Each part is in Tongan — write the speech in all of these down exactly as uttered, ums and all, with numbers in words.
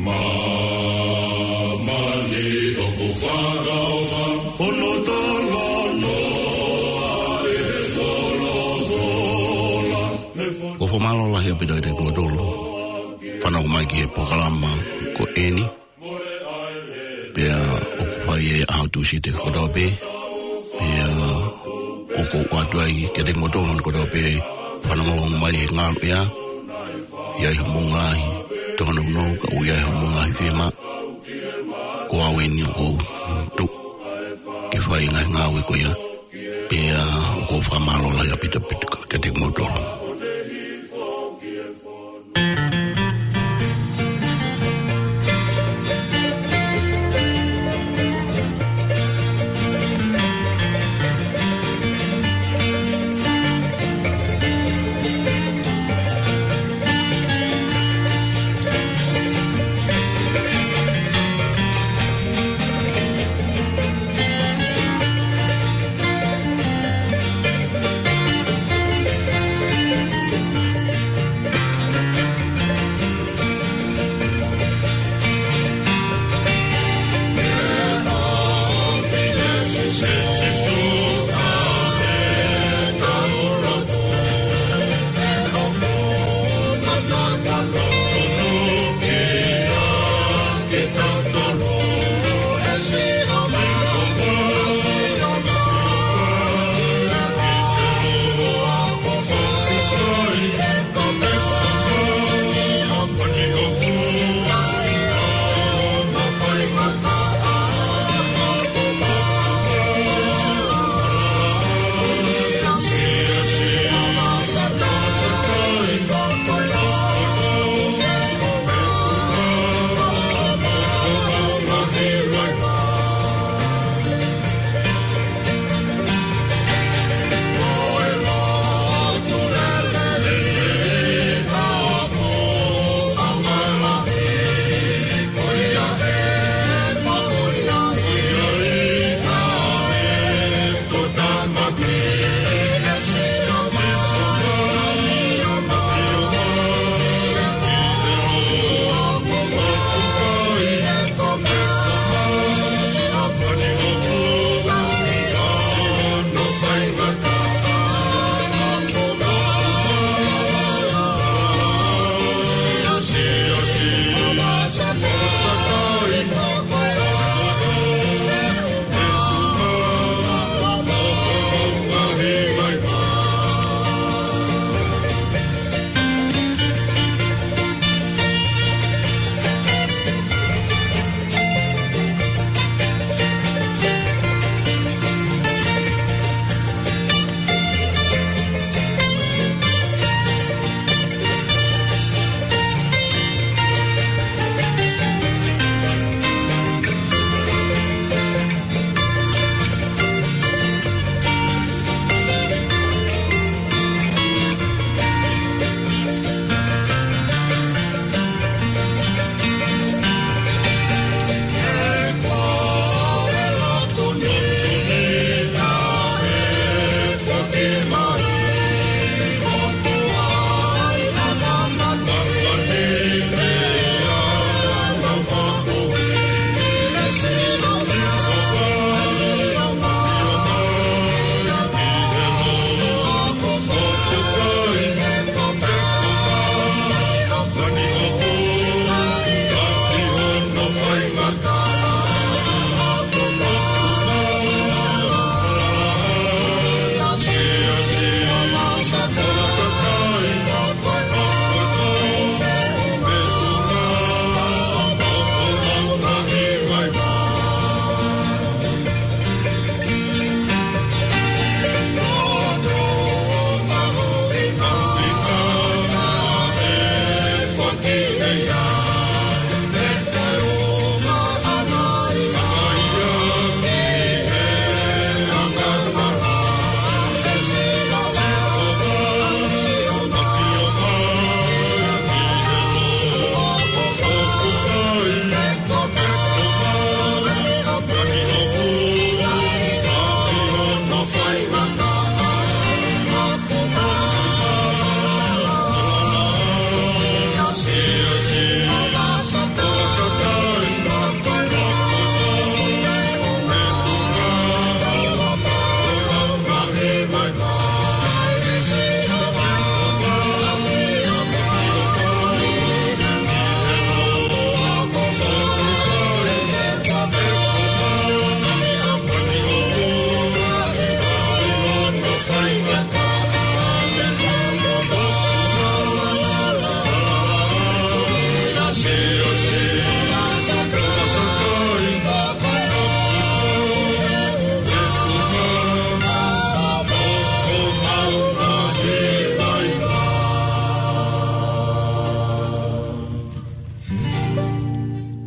Māmani ʻoku fakaʻofa, hono talanoa ʻi he folofola. Ko e fakamālō lahi ʻaupito kiate kimoutolu fanongo mai ki he polokalama ko eni. Pea ʻoku fai ʻi he ʻaho Tūsite kotoa pē. Pea ʻoku ou ʻoatu ai kiate kimoutolu kotoa pē fanongo mai he ngaluʻea. ʻI ai haʻamou ngaahi tōnounou, ka ʻoku ʻi ai haʻamou ngaahi fiemaʻu, ko au eni ʻoku ou tuʻu ke fai e ngaahi ngāue ko ia. Pea ʻoku ou fakamālō lahi ʻaupito ʻaupito kiate kimoutolu.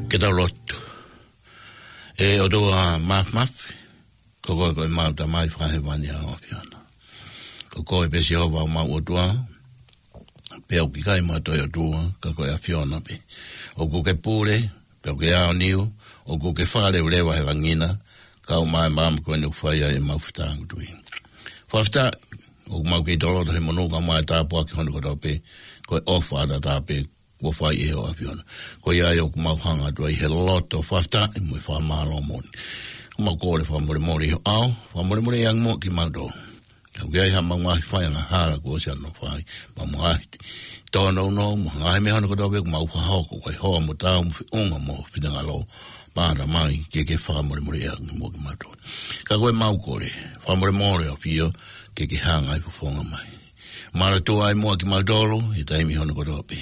Ke tau lotu. ʻE ʻOtua Māfimafi, ko koe ko ʻemau Tamai Fakahēvani ʻa e ʻAfiona. Ko koe pē Sihova ʻemau ʻOtua, pea ʻoku ʻikai mo ha toe ʻOtua, ka ko e ʻAfiona pē. ʻOku ke pule, pea ʻoku ke aoniu, ʻoku ke fakaleveleva he langi na, kau mai e maama ko eni ʻoku fai ai ʻemau fetāngutuʻi. Fakafetaʻi, ʻoku mau kei toloto he monū kae ʻumaʻā e tāpuaki hono kotoa pē, ko e ʻofa ʻataʻatā pē, kuo fai ʻe ho ʻAfiona. Ko ia ai ʻoku mau hanga atu ai he loto fakafetaʻi mo e fakamālō moʻoni. Mau kole fakamolemole ʻi ho ʻao, fakamolemole ʻi angi muʻa kimautolu. ʻOku ʻi ai haʻamau ngaahi fai angahala kuo ʻosi ʻanofai, mo e ngaahi tōnounou, mo e ngaahi meʻa hono kotoa pē ʻoku mau fakahoko, ko e hoa mo tau mo feʻunga mo finangalo, pea Tamai ke ke fakamolemole ʻi angi muʻa kimautolu. Ka ko ʻemau kole, fakamolemole ʻAfio, ke ke hanga ʻo fofonga mai. Manatua ai muʻa kimautolu, ʻi he taimi hono kotoa pē.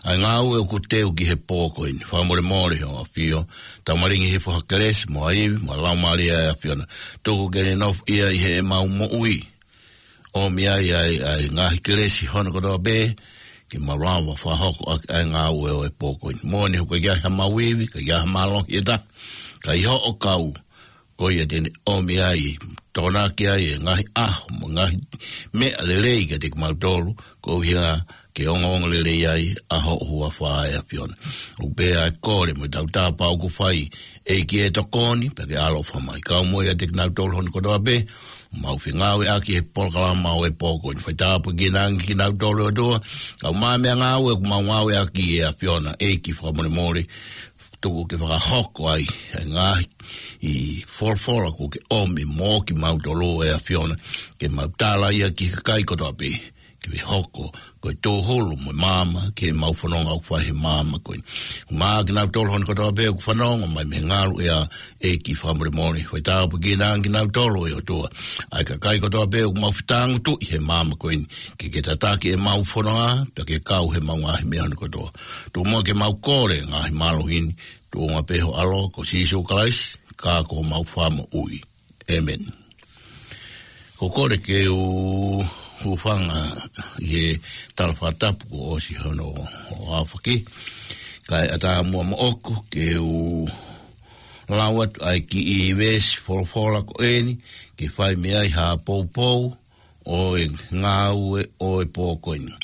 ʻA e ngāue ʻoku teu ki he pō ko eni, fakamolemole ho ʻAfio, tau malingi hifo ha kelesi, mo ha ivi, mo e Laumālie ʻa e ʻAfiona. Tuku ke ne nofo ia ʻi heʻemau moʻui. ʻOmi ai, ʻa e, ʻa e ngaahi kelesi hono kotoa pē, ke mau lava fakahoko ʻaki ʻa e ngāue ʻo e pō ko eni. Moʻoni he ʻoku ʻikai ke ʻi ai haʻamau ivi, ʻikai ke ʻi ai haʻamālohi ʻe taha. Ka ʻi hoʻo kau, ko ia te ne ʻomi ai, tokonaki ai e ngaahi ʻaho, mo e ngaahi meʻa lelei kiate kimautolu, koeʻuhi ke ongoongolelei ai ʻa ho huafa ʻe ʻAfiona. ʻOku pehē ʻa e kole mo e tautapa ʻoku fai, ʻEiki ʻe tokoni, pea ke ʻaloʻofa mai. Kau mo ia ʻiate kinautolu hono kotoa pē, mau fengāueʻaki he polokalama ʻo e pō ko eni. Fai tāpuekina ange kinautolu ʻOtua, kau mai e meʻangāue ʻoku mau ngāueʻaki ʻe ʻAfiona, ʻEiki fakamolemole, tuku ke fakahoko ai, ʻa e ngaahi folofola kuo ke ʻomi mo kimautolu ʻe ʻAfiona, ke mau tala ia ki he kakai kotoa pē, ke hoko, ko e tōhulu mo e maama, ke mau fononga ʻoku fai he maama ko eni. Mo kinautolu hono kotoa pē, ʻoku fanongo mai mei he ngaluʻea, ʻEiki fakamolemole, fai tāpuekina ange kinautolu ʻe ʻOtua. ʻA e kakai kotoa pē, ʻoku mau fetāngutuʻi he maama ko eni, ke ke tataki ʻemau fononga, pea ke kau heʻemau ngaahi meʻa hono kotoa. Tuku muʻa ke mau kole, ngaahi mālohi ni, tuʻunga pē ho ʻAlo, ko Sīsū Kalaisi, ka ko homau Fakamoʻui. ʻĒmeni. Ko e kole ke u hūfanga ʻi he tala fakatapu kuo ʻosi hono ʻo ʻafaki. Kae ʻatā muʻa moʻoku ke u lau atu ʻa e kiʻi veesi folofola ko eni, ke fai mei ai ha poupou, ʻo e ngāue ʻo e pō ko eni.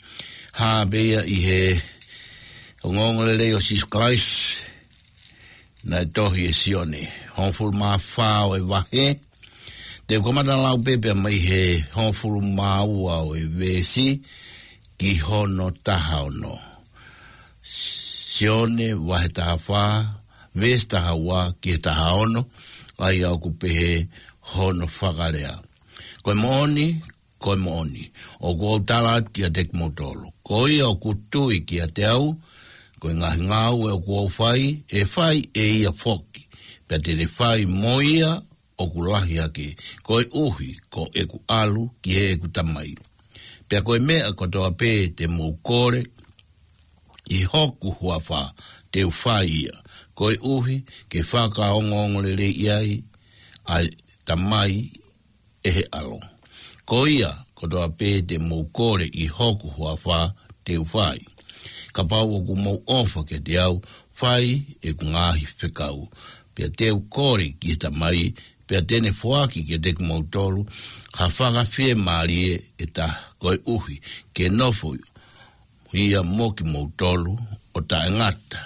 Hā pē ia ʻi he ongoongolelei ʻo Sīsū Kalaisi, naʻe tohi ʻe Sione, hongofulu mā fā ʻo e vahe. Te u kamata lau pē pea mei he hongofulu mā ua ʻo e veesi, ki hono taha ono. Sione vahe taha fā, veesi taha ua ki he taha ono, ʻa ia ʻoku pehē hono fakalea. Ko e moʻoni, ko e moʻoni, ʻoku ou tala atu kiate kimoutolu, ko ia ʻoku tui kiate au, ko e ngaahi ngāue ʻoku ou fai, ʻe fai ʻe ia foki, pea te ne fai mo ia ʻoku lahi hake, koeʻuhi ko ʻeku ʻalu ki heʻeku Tamai. Pea ko e meʻa kotoa pē te mou kole ʻi hoku huafa, te u fai ia, koeʻuhi ke fakaongoongoleleiʻi ai ʻa e Tamai ʻe he ʻAlo. Ko ia kotoa pē te mou kole ʻi hoku huafa, te u fai. Kapau ʻoku mou ʻofa kiate au, fai ʻeku ngaahi fekau. Pea te u kole ki he Tamai, pea te ne foaki kiate kimoutolu ha Fakafiemālie ʻe taha, koeʻuhi ke nofo ia mo kimoutolu ʻo taʻengata.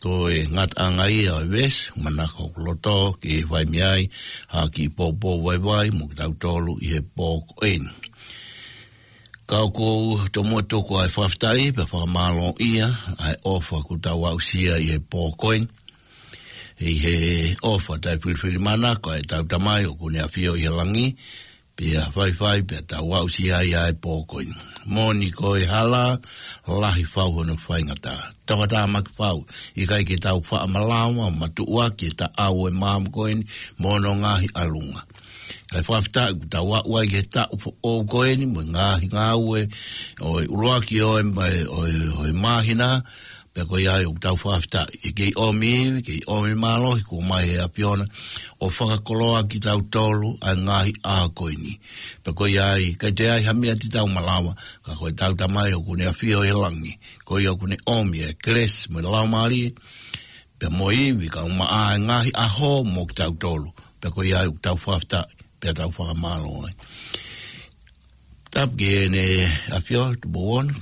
Ko e ngataʻanga ia ʻo e veesi, manako ʻoku loto ke fai mei ai ha kiʻi poupou vaivai mo kitautolu ʻi he pō ko eni. Ka ʻoku ou tomuʻa tuku ʻa e fakafetaʻi pea fakamālōʻia ʻa e ʻofa kuo tau aʻusia ʻi he pō ko eni. ʻI he ʻofa taʻefilifilimana ko ʻetau Tamai ʻoku ne ʻafio ʻi he langi, pea faifai pea tau aʻusia ai ʻa e pō ko eni. Moʻoni ko e hala lahi fau hono faingataʻa. Tokatāmaki fau, ʻikai ke tau faʻa malava ʻo matuʻuaki e taʻau ʻo e maama ko eni mo hono ngaahi ʻalunga. Kae fakafetaʻi kuo tau aʻu ai ki he taʻu foʻou ko eni mo e ngaahi ngāue ʻo e ʻuluaki ʻo e, ʻo e, ʻo e māhina, pea ko ia ai ʻoku tau fakafetaʻi. ʻE kei ʻomi ivi, kei ʻomi mālohi kuo ʻomai ʻe he ʻAfiona ʻo fakakoloa kitautolu ʻa e ngaahi ʻaho ko eni. Pea ko ia ai, ʻikai toe ʻi ai ha meʻa te tau malava, ka ko ʻetau Tamai ʻoku ne ʻafio ʻi he langi, ko ia ʻoku ne ʻomi e kelesi mo e Laumālie, pea mo e ivi, kae ʻumaʻā e ngaahi ʻaho mo kitautolu. Pea ko ia ʻoku tau fakafetaʻi, pea tau fakamālō ai. Tapu ki heʻene ʻAfio, Tupou Ono,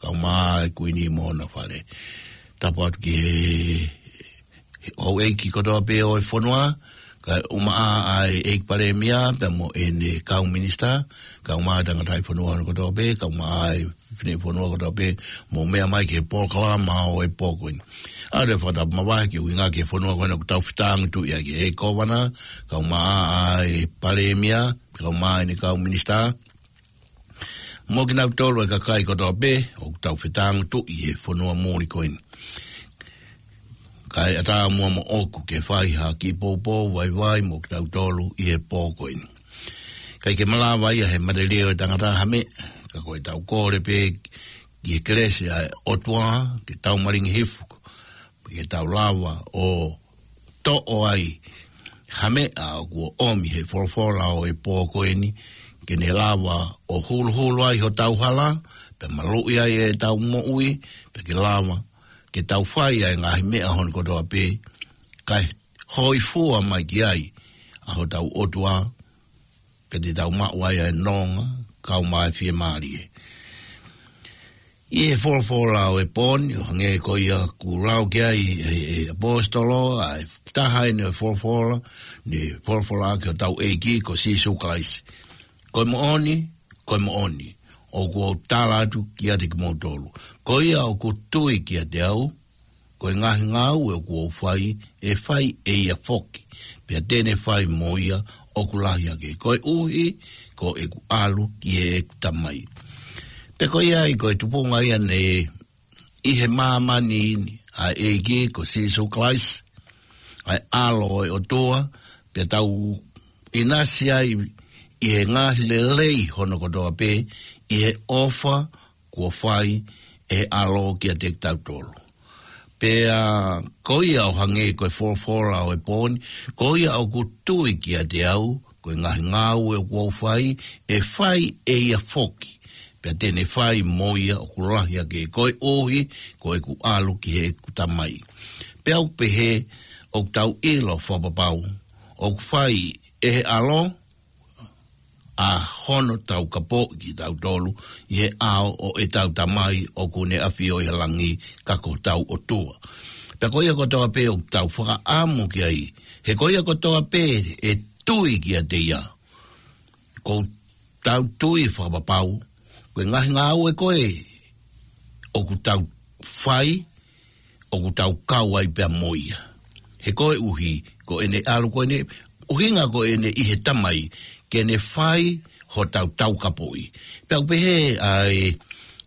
kae ʻumaʻā e Kuini mo hona fale. Tapu atu ki he, he houʻeiki kotoa pē ʻo e fonua, kae ʻumaʻā ʻa e ʻEiki Palēmia, pea mo ʻene kau minisitā, kae ʻumaʻā e tangataʻi fonua hono kotoa pē, kae ʻumaʻā e fineʻeiki fonua kotoa pē, mou meʻa mai ki he polokalama ʻo e pō ko eni. ʻA ia, fakatapu mavahe ki he ʻuhinga ki he fonua ko ena ʻoku tau fetāngutuʻi ai, ki he kōvana, kae ʻumaʻā ʻa e palēmia, kae ʻumaʻā ʻene kau minisitā, mo kinautolu e kakai kotoa pē ʻoku tau fetāngutuʻi he fonua muli ko eni. Kae ʻatā muʻa moʻoku ke fai ha kiʻi poupou vaivai mo kitautolu ʻi he pō ko eni. ʻIkai ke malava ia he mate leʻo ʻo e tangata ha meʻa, ka ko ʻetau kole pē ki he kelesi ʻa e ʻOtua, ke tau malingi hifo, ke tau lava ʻo toʻo ai ha meʻa ʻoku ʻomi he folofola ʻo e pō ko eni, ke ne lava ʻo huluhulu ai hotau hala, pea maluʻi ai ʻetau moʻui, pea ke lava ke tau fai ʻa e ngaahi meʻa hono kotoa pē, kae hōifua mai ki ai ʻa hotau ʻOtua, pea te tau maʻu ai ʻa e nonga, kae ʻumaʻā e fiemālie. ʻI he folofola ʻo e pō ni, ʻo hangē ko ia kuo lau ki ai ʻe, ʻe ʻaposetolo, ʻa e taha eni ʻo e folofola, ne folofola ki hotau ʻEiki ko Sīsū Kalaisi. Ko e moʻoni, ko e moʻoni, ʻoku ou tala atu kiate kimoutolu. Ko ia ʻoku tui kiate au, ko e ngaahi ngāue ʻoku ou fai, ʻe fai ʻe ia foki, pea te ne fai mo ia ʻoku lahi ange, koeʻuhi ko ʻeku ʻalu ki heʻeku Tamai. Pea ko ia ai ko e tupuʻanga ia naʻe ʻi he māmani ni ʻa e ʻEiki ko Sīsū Kalaisi, ʻa e ʻAlo ʻo e ʻOtua, pea tau ʻinasi ai ʻi he ngaahi lelei hono kotoa pē, ʻi he ʻofa kuo fai ʻe he ʻAlo kiate kitautolu. Pea ko ia ʻo hangē ko e folofola ʻo e pō ni, ko ia ʻoku tui kiate au, ko e ngaahi ngāue ʻoku ou fai, ʻe fai ʻe ia foki, pea te ne fai mo ia ʻoku lahi ange, koeʻuhi ko ʻeku ʻalu ki heʻeku Tamai. Pea ʻoku pehē, ʻoku tau ʻilo fakapapau, ʻoku fai ʻe he ʻAlo ʻa hono taukapoʻi kitautolu ʻi he ʻao ʻo ʻetau Tamai ʻoku ne ʻafio ʻi he langi, ka ko hotau ʻOtua. Pea ko ia kotoa pē ʻoku tau fakaʻamu ki ai, he ko ia kotoa pē ʻe tui kiate ia, ʻoku tau tui fakapapau, ko e ngaahi ngāue ko ē ʻoku tau fai, ʻoku tau kau ai pea mo ia. He koeʻuhi ko ʻene ʻalu, ko ʻene ʻuhinga ko ʻene ʻi he Tamai, ke ne fai hotau taukapoʻi. Pea ʻoku pehē ʻa e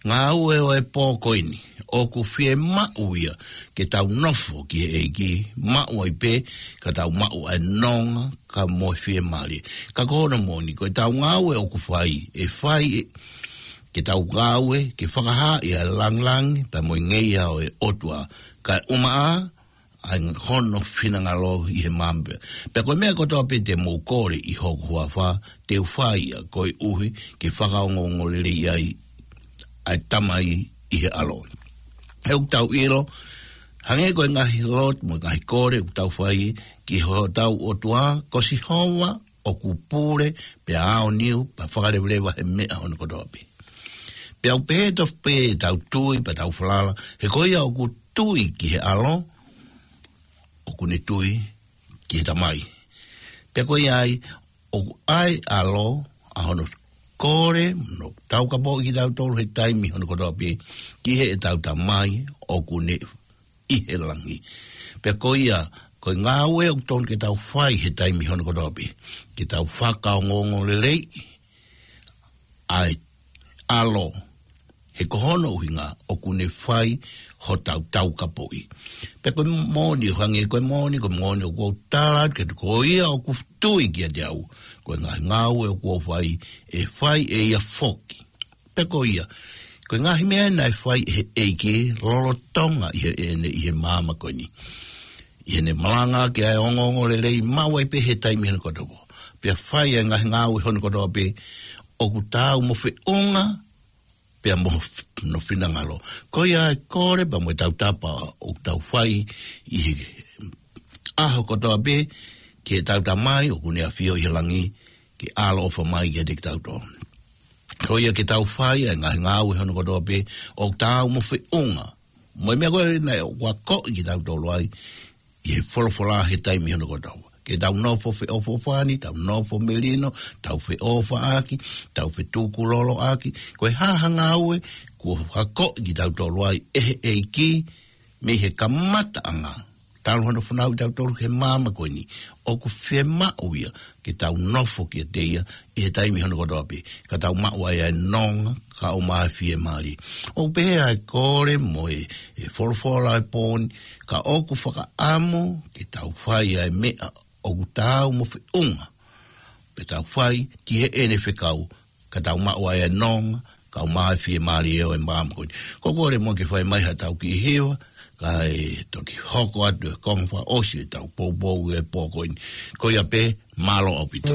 ngāue ʻo e pō ko eni, ʻoku fiemaʻu ia ke tau nofo ki he ʻEiki, maʻu ai pē, ka tau maʻu ʻa e nonga, kae mo e fiemālie. Ka ko hono moʻoni, ko ʻetau ngāue ʻoku fai, ʻe fai ʻe, ke tau ngāue ke fakahā ʻa e langilangi pea mo e ngeia ʻo e ʻOtua, kae ʻumaʻā ʻa hono finangalo ʻi he māmani. Pea ko e meʻa kotoa pē te mou kole ʻi hoku huafa, te u fai ia, koeʻuhi ke fakaongoongoleleiʻi ai ʻa e Tamai ʻi he ʻAlo. He ʻoku tau ʻilo, hangē ko e ngaahi lotu mo e ngaahi kole ʻoku tau fai ki hotau ʻOtua, ko Sihova ʻoku pule, pea aoniu, pea fakalevaleva he meʻa hono kotoa pē. Pea ʻoku pehē tofu pē ʻetau tui, pea tau falala, he ko ia ʻoku tui ki he ʻAlo, ʻoku ne tui ki he Tamai. Pea ko ia ai, ʻoku ʻi ai ʻa e ʻAlo, ʻa hono kole, mo taukapoʻi kitautolu he taimi hono kotoa pē, ki heʻetau Tamai ʻoku ne ʻi he langi. Pea ko ia, ko e ngāue ʻoku totonu ke tau fai he taimi hono kotoa pē, ke tau fakaongoongoleleiʻi ʻa e ʻAlo, he ko hono ʻuhinga ʻoku ne fai hotau taukapoʻi. Pea ko e moʻoni, ʻo hangē ko e moʻoni, ko e moʻoni ʻoku ou tala atu kiate koe, ko ia ʻoku tui kiate au, ko e ngaahi ngāue ʻoku ou fai, ʻe fai ʻe ia foki. Pea ko ia, ko e ngaahi meʻa naʻe fai ʻe he ʻEiki lolotonga ʻi heʻene ʻi he māmani ko eni, ʻi heʻene malanga ki he ongoongolelei, maʻu ai pē he taimi hono kotoa pē, pea fai ʻa e ngaahi ngāue hono kotoa pē, ʻoku taau mo feʻunga pea mo hono finangalo. Ko ia ʻa e kole pea mo e tautapa ʻoku tau fai ʻi he ʻaho kotoa pē ki heʻetau Tamai ʻoku ne ʻafio ʻi he langi, ke ʻaloʻofa mai kiate kitautolu. Ko ia ke tau fai ʻa e ngaahi ngāue hono kotoa pē ʻoku taau mo feʻunga mo e meʻa ko ē naʻe ʻoku akoʻi kitautolu ai ʻi he folofola he taimi hono kotoa. Ke tau nofo feʻofoʻofani, tau nofo melino, tau feʻofaʻaki, tau fetukuloloʻaki. Ko e hā ha ngāue kuo akoʻi kitautolu ai ʻe he ʻEiki mei he kamataʻanga, talu hono fanauʻi kitautolu he māmani ko eni, ʻoku fiemaʻu ia ke tau nofo kiate ia ʻi he taimi hono kotoa pē, ka tau maʻu ai ʻa e nonga, ka ʻoku maʻu ʻa e fiemālie. ʻOku pehē ʻa e kole mo e, e folofola ʻo e pō ni, ka ʻoku fakaʻamu ke tau fai ʻa e meʻa ʻoku taau mo feʻunga, pea tau fai ki heʻene fekau, ka tau maʻu ai ʻa e nonga, ka ʻoku maʻu ʻa e fiemālie ʻo e māmani ko eni. Ko e kole mo ke fai mai haʻatau kiʻi hiva, kae toki hoko atu e konga fakaʻosi ʻetau poupou he pō ko eni. Ko ia pē, mālō ʻaupito.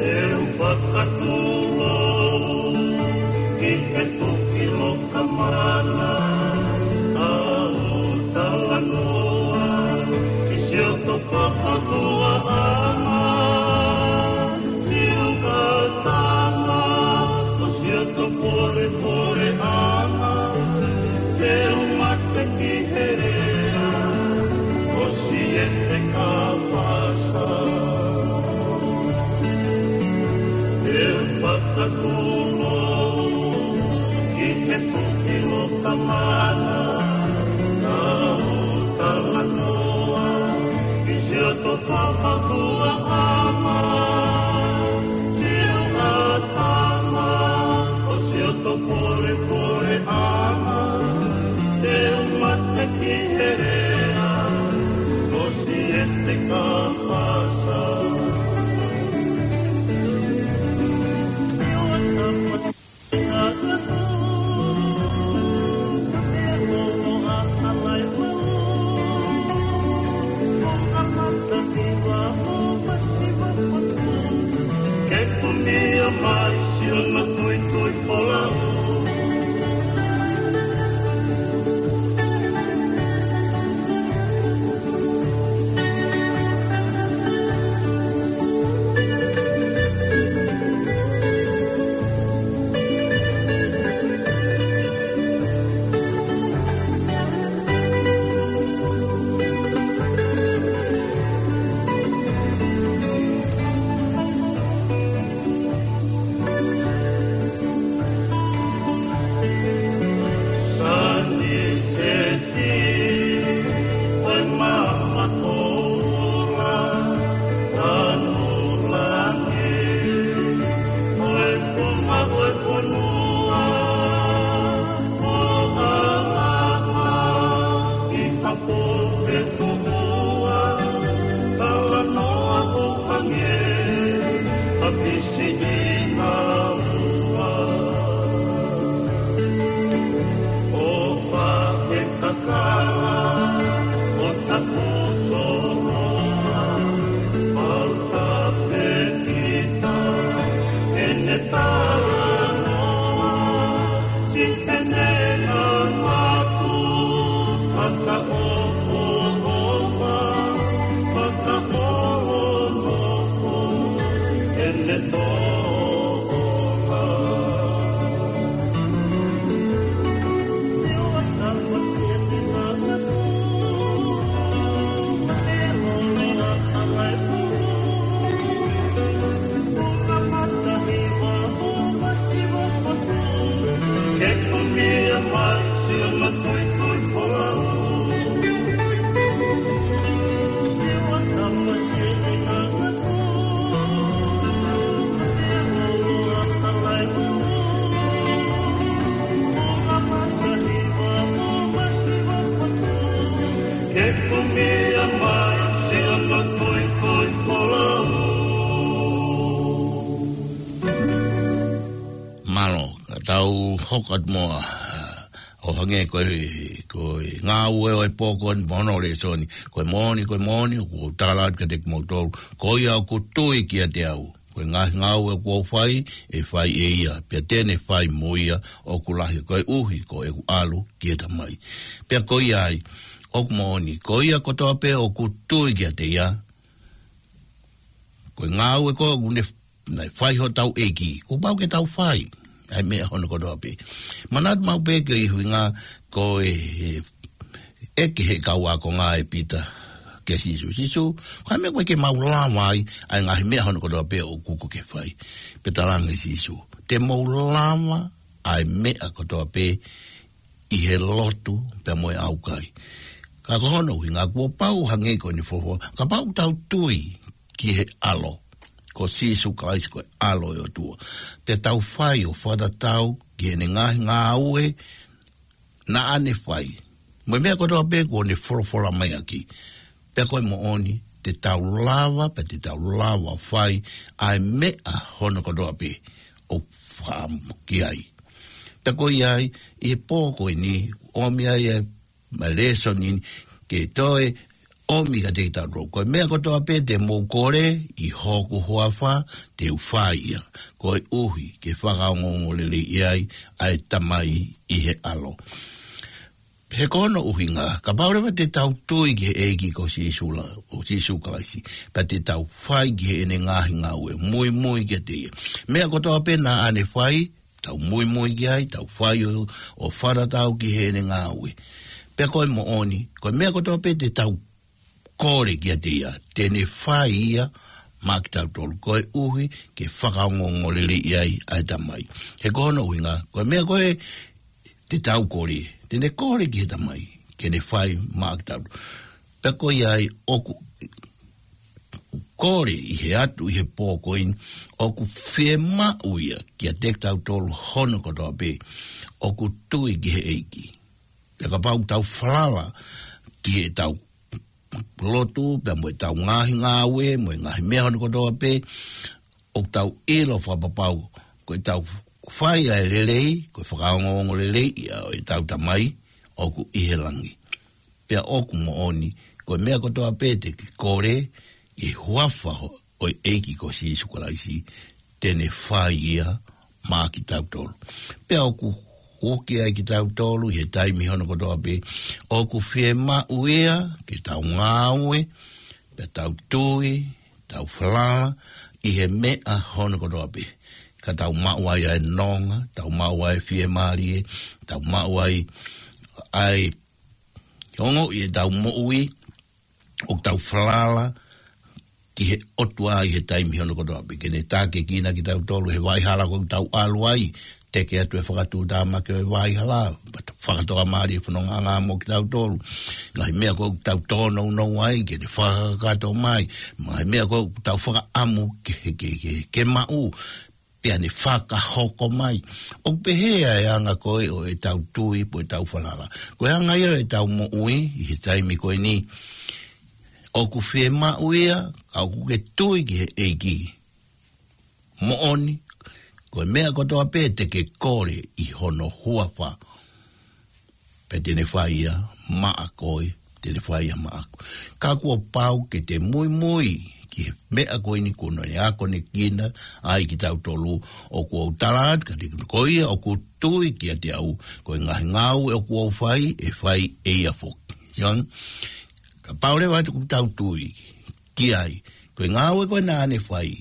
ʻE u fakatūlou ki he tuki loka mana, ʻa u talanoa ki siʻoto fakahuaʻanga, siʻoto tama, ko siʻoto polepole ʻana, te u mate ki he lea ʻo Siete Kapasa. ʻE u fakatūlou ki he tuki loka mana, ʻa u talanoa ki siʻoto fakahuaʻanga, siʻoto tama, ko siʻoto polepole ʻana, te u mate ki he lea ʻo Siete Kapasa. Ke kumia mai siʻono tuitui folau. hoko atu mo, ʻa, ʻo hangē ko e, ko e ngāue ʻo e pō ko eni mo hono lēsoni. Ko e moʻoni, ko e moʻoni, ʻoku ou tala atu kiate kimoutolu, ko ia ʻoku tui kiate au, ko e ngaahi ngāue ʻoku ou fai, ʻe fai ʻe ia, pea te ne fai mo ia ʻoku lahi, koeʻuhi ko ʻeku ʻalu ki he Tamai. Pea ko ia ai, ʻoku moʻoni, ko ia kotoa pē ʻoku tui kiate ia, ko e ngāue ko ē ʻoku ne, naʻe fai hotau ʻEiki, kuo pau ke tau fai ʻa e meʻa hono kotoa pē. Manatu maʻu pē ki he ʻuhinga ko e, ʻeke ʻe he kau ākonga ʻe Pita kia Sīsū, Sīsū, ko e hā e meʻa ʻoku ʻikai ke mau lava ai ʻa e ngaahi meʻa hono kotoa pē ʻoku ke fai? Pea talaange ʻe Sīsū, te mou lava ʻa e meʻa kotoa pē ʻi he lotu pea mo e ʻaukai. Ka ko hono ʻuhinga kuo pau hangē ko eni fofo, kapau ʻoku tau tui ki he ʻAlo, ko Sīsū Kalaisi ko e ʻAlo ʻo e ʻOtua, pea tau fai ʻo fakatatau ki heʻene ngaahi ngāue naʻa ne fai, mo e meʻa kotoa pē kuo ne folofola mai ʻaki, pea ko e moʻoni, te tau lava, pea te tau lava fai ʻa e meʻa hono kotoa pē ʻoku fakaʻamu ki ai. Pea ko ia ai, ʻi he pō ko eni, ʻomi ai e, ma lēsoni ni, ke toe ʻomi kiate kitautolu. Ko e meʻa kotoa pē te mou kole ʻi hoku huafa, te u fai ia, koeʻuhi ke fakaongoongoleleiʻi ai ʻa e Tamai ʻi he ʻAlo. He ko hono ʻuhinga, kapau leva te tau tui ki he ʻEiki ko Sīsū la, ʻo Sīsū Kalaisi, pea te tau fai ki heʻene ngaahi ngāue, muimui kiate ia. Meʻa kotoa pē naʻa ne fai, tau muimui ki ai, tau fai ʻo, ʻo fakatatau ki heʻene ngāue. Pea ko e moʻoni, ko e meʻa kotoa pē te tau kole kiate ia, te ne fai ia maʻa kitautolu, koeʻuhi ke fakaongoongoleleiʻi ai ʻa e Tamai. He ko hono ʻuhinga, ko e meʻa ko ē te tau kole, te ne kole ki he Tamai ke ne fai maʻa kitautolu. Pea ko ia ai, ʻoku kole ʻi he atu ʻi he pō ko eni, ʻoku fiemaʻu ia kiate kitautolu hono kotoa pē ʻoku tui ki he ʻEiki. Pea kapau ʻoku tau falala ki heʻetau lotu, pea mo ʻetau ngaahi ngāue, mo e ngaahi meʻa hono kotoa pē, ʻoku tau ʻilo fakapapau ko ʻetau fai ʻa e lelei, ko e fakaongoongoleleiʻi ʻa ʻetau Tamai ʻoku ʻi he langi. Pea ʻoku moʻoni, ko e meʻa kotoa pē te ke kole ʻi he huafa ʻo e ʻEiki ko Sīsū Kalaisi, te ne fai ia maʻa kitautolu. Pea ʻoku ʻoku ʻi ai kitautolu ʻi he taimi hono kotoa pē, ʻoku fiemaʻu ia ke tau ngāue, pea tau tui, tau falala ʻi he meʻa hono kotoa pē, ka tau maʻu ai ʻa e nonga, tau maʻu ai ʻa e fiemālie, tau maʻu ai ʻa e ongoʻi ʻetau moʻui, ʻoku tau falala ki he ʻOtua ʻi he taimi hono kotoa pē, ke ne tākiekina kitautolu he vaʻa hala ko ē ʻoku tau ʻalu ai, teke atu e fakatuʻutāmaki ʻo e vaʻa hala, fakatoka mālie fononga mo kitautolu. Ngaahi meʻa ko ē ʻoku tau tōnounou ai, ke ne fakakakato mai. Ngaahi meʻa ko ē ʻoku tau fakaʻamu ke, ke, ke, ke maʻu, pea ne fakahoko mai. ʻOku pehē ʻa e anga ko ē ʻo ʻetau tui, pe ko ʻetau falala. Ko e anga ia ʻo ʻetau moʻui ʻi he taimi ko eni. ʻOku fiemaʻu ia, ka ʻoku ke tui ki he ʻEiki. Moʻoni, ko e meʻa kotoa pē te ke kole ʻi hono huafa, pea te ne fai ia maʻa koe, te ne fai ia maʻaku. Ka kuo pau ke te muimui ki he meʻa ko eni kuo ne akonekina ai kitautolu, ʻoku ou tala atu kiate koe, ko ia ʻoku tui kiate au, ko e ngaahi ngāue ʻoku ou fai, ʻe fai ʻe ia foki. Siʻi, kapau leva ʻoku tau tui ki ai, ko e ngāue ko ē naʻa ne fai,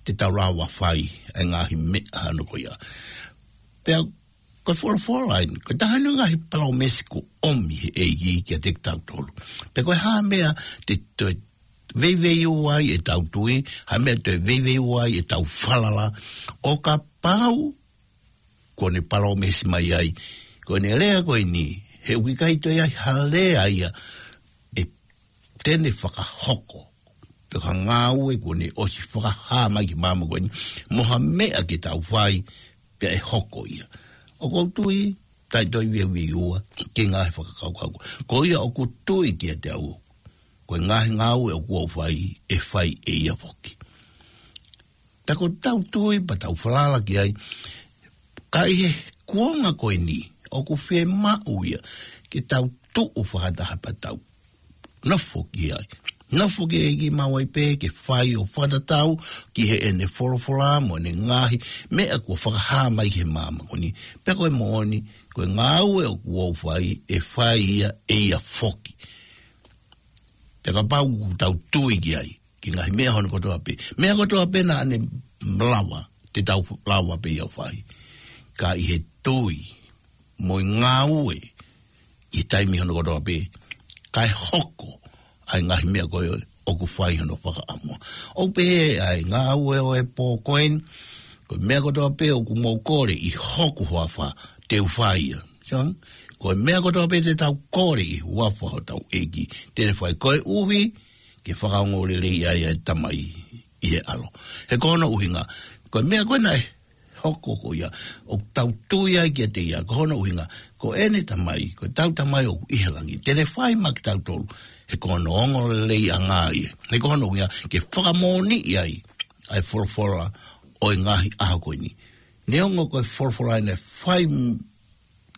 te tau lava fai ʻa e ngaahi meʻa hono ko ia. Pea ko e folofola eni, ko e taha eni ʻo e ngaahi palōmesi kuo ʻomi ʻe he ʻEiki kiate kitautolu. Pea ko e hā e meʻa te toe veiveiua ai ʻetau tui, hā e meʻa te toe veiveiua ai ʻetau falala, ʻo kapau kuo ne palōmesi mai ai, ko ʻene lea ko eni, he ʻoku ʻikai toe ʻi ai ha lea ia ʻe te ne fakahoko. Pea ko e ngāue kuo ne ʻosi fakahā mai ki māmani ko eni, mo ha meʻa ke tau fai, pea ʻe hoko ia. ʻOku ou tui, taʻe toe veiveiua ki he ngaahi fakakaukau. Ko ia ʻoku tui kiate au, ko e ngaahi ngāue ʻoku ou fai, ʻe fai ʻe ia foki. Pea ko ʻetau tui, pea tau falala ki ai, ka ʻi he kuonga ko eni, ʻoku fiemaʻu ia ke tau tuʻu fakataha pea tau nofo ki ai. Nofo ki he ʻEiki maʻu ai pē ke fai ʻo fakatatau ki heʻene folofola mo ʻene ngaahi meʻa kuo fakahā mai he māmani. Pea ko e moʻoni, ko e ngāue ʻoku ou fai, ʻe fai ia ʻe ia foki. Pea kapau ʻoku tau tui ki ai, ki he ngaahi meʻa hono kotoa pē. Meʻa kotoa pē naʻa ne lava, te tau lava pē ia ʻo fai. Ka ʻi he tui, mo e ngāue, ʻi he taimi hono kotoa pē, kae hoko ʻa e ngaahi meʻa ko ē ʻoku fai hono fakaʻamu. ʻOku pehē ʻa e ngāue ʻo e pō ko eni, ko e meʻa kotoa pē ʻoku mou kole ʻi hoku huafa te u fai ia. Sio ange, ko e meʻa kotoa pē te tau kole ʻi he huafa hotau ʻEiki, te ne fai, koeʻuhi ke fakaongoongoleleiʻi ʻa e Tamai ʻi he ʻAlo. He ko hono ʻuhinga, ko e meʻa ko ē naʻe hoko ko ia, ʻoku tau tui ai kiate ia, ko hono ʻuhinga, ko ʻene Tamai, ko ʻetau Tamai ʻoku ʻi he langi, te ne fai maʻa kitautolu, he ko hono ongoongolelei ʻanga ia. He ko hono ʻuhinga, ke fakamoʻoniʻi ai ʻa e folofola ʻo e ngaahi ʻaho ko eni. Neongo ko e folofola ʻeni ʻe fai m-,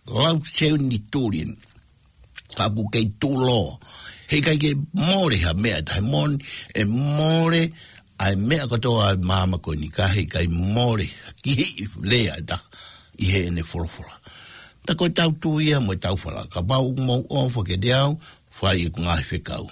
lau senituli eni, ka ʻoku kei tuʻuloa. Heʻikai ke mole ha meʻa ʻe taha, he moʻoni ʻe mole ʻa e meʻa kotoa ʻa e māmani ko eni, ka heʻikai mole ha kiʻi lea ʻe taha ʻi heʻene folofola. Pea ko ʻetau tui ia mo ʻetau falala, kapau ʻoku mou ʻofa kiate au, fai ʻeku ngaahi fekau.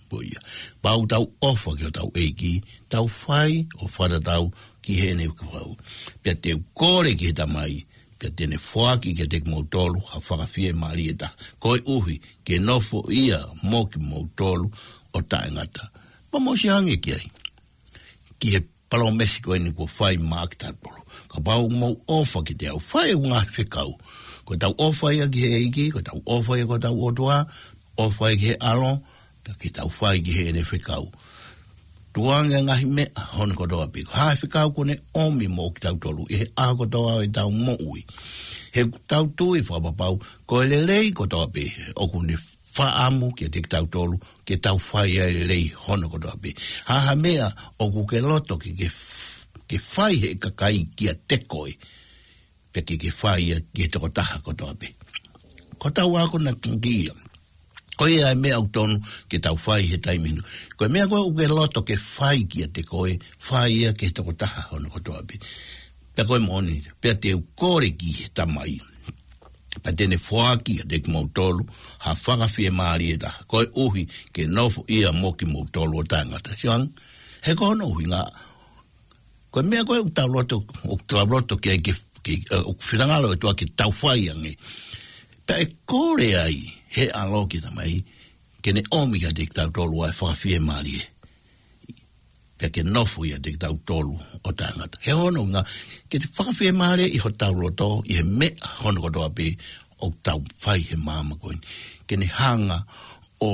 Ko ia. Kapau ʻoku tau ʻofa ki hotau ʻEiki, tau fai ʻo fakatatau ki heʻene fekau. Pea te u kole ki he Tamai, pea te ne foaki kiate kimoutolu ha Fakafiemālie ʻe taha, koeʻuhi ke nofo ia mo kimoutolu ʻo taʻengata. Pea mou sio ange ki ai, ki he palōmesi ko eni kuo fai maʻa kitautolu. Kapau ʻoku mou ʻofa kiate au, fai ʻeku ngaahi fekau. Ko ʻetau ʻofa ia ki he ʻEiki, ko ʻetau ʻofa ia ki hotau ʻOtua, ʻofa ia ki he ʻAlo, pea ke tau fai ki heʻene fekau. Tukuange ngaahi meʻa hono kotoa pē, ko e hā e fekau kuo ne ʻomi mo kitautolu ʻi he ʻaho kotoa ʻo ʻetau moʻui. He ʻoku tau tui fakapapau, ko e lelei kotoa pē ʻoku ne fakaʻamu kiate kitautolu, ke tau fai ʻa e lelei hono kotoa pē. Ha ha meʻa ʻoku ke loto ke, ke f-, ke fai ʻe he kakai kiate koe, pea ke, ke fai ia ki he tokotaha kotoa pē. Ko hotau akonaki ia. Ko ia ʻa e meʻa ʻoku tonu ke tau fai he taimi ni. Ko e meʻa ko ē ʻoku ke loto ke fai kiate koe, fai ia ki he tokotaha hono kotoa pē. Pea ko e moʻoni, pea te u kole ki he Tamai, pea te ne foaki kiate kimoutolu ha Fakafiemālie ʻe taha, koeʻuhi ke nofo ia mo kimoutolu ʻo taʻengata. Sio ange, he ko hono ʻuhinga, ko e meʻa ko ē ʻoku tau loto, ʻoku tau loto ke, ke, ke, ē, ʻoku finangalo ʻOtua ke tau fai ange. Pea ʻe kole ai ʻe he ʻAlo ki he Tamai, ke ne ʻomi kiate kitautolu ʻa e Fakafiemālie, pea ke nofo ia ʻiate kitautolu ʻo taʻengata. He ko hono ʻuhinga, ke te fakafiemālieʻi hotau loto ʻi he meʻa hono kotoa pē ʻoku tau fai he māmani ko eni. Ke ne hanga ʻo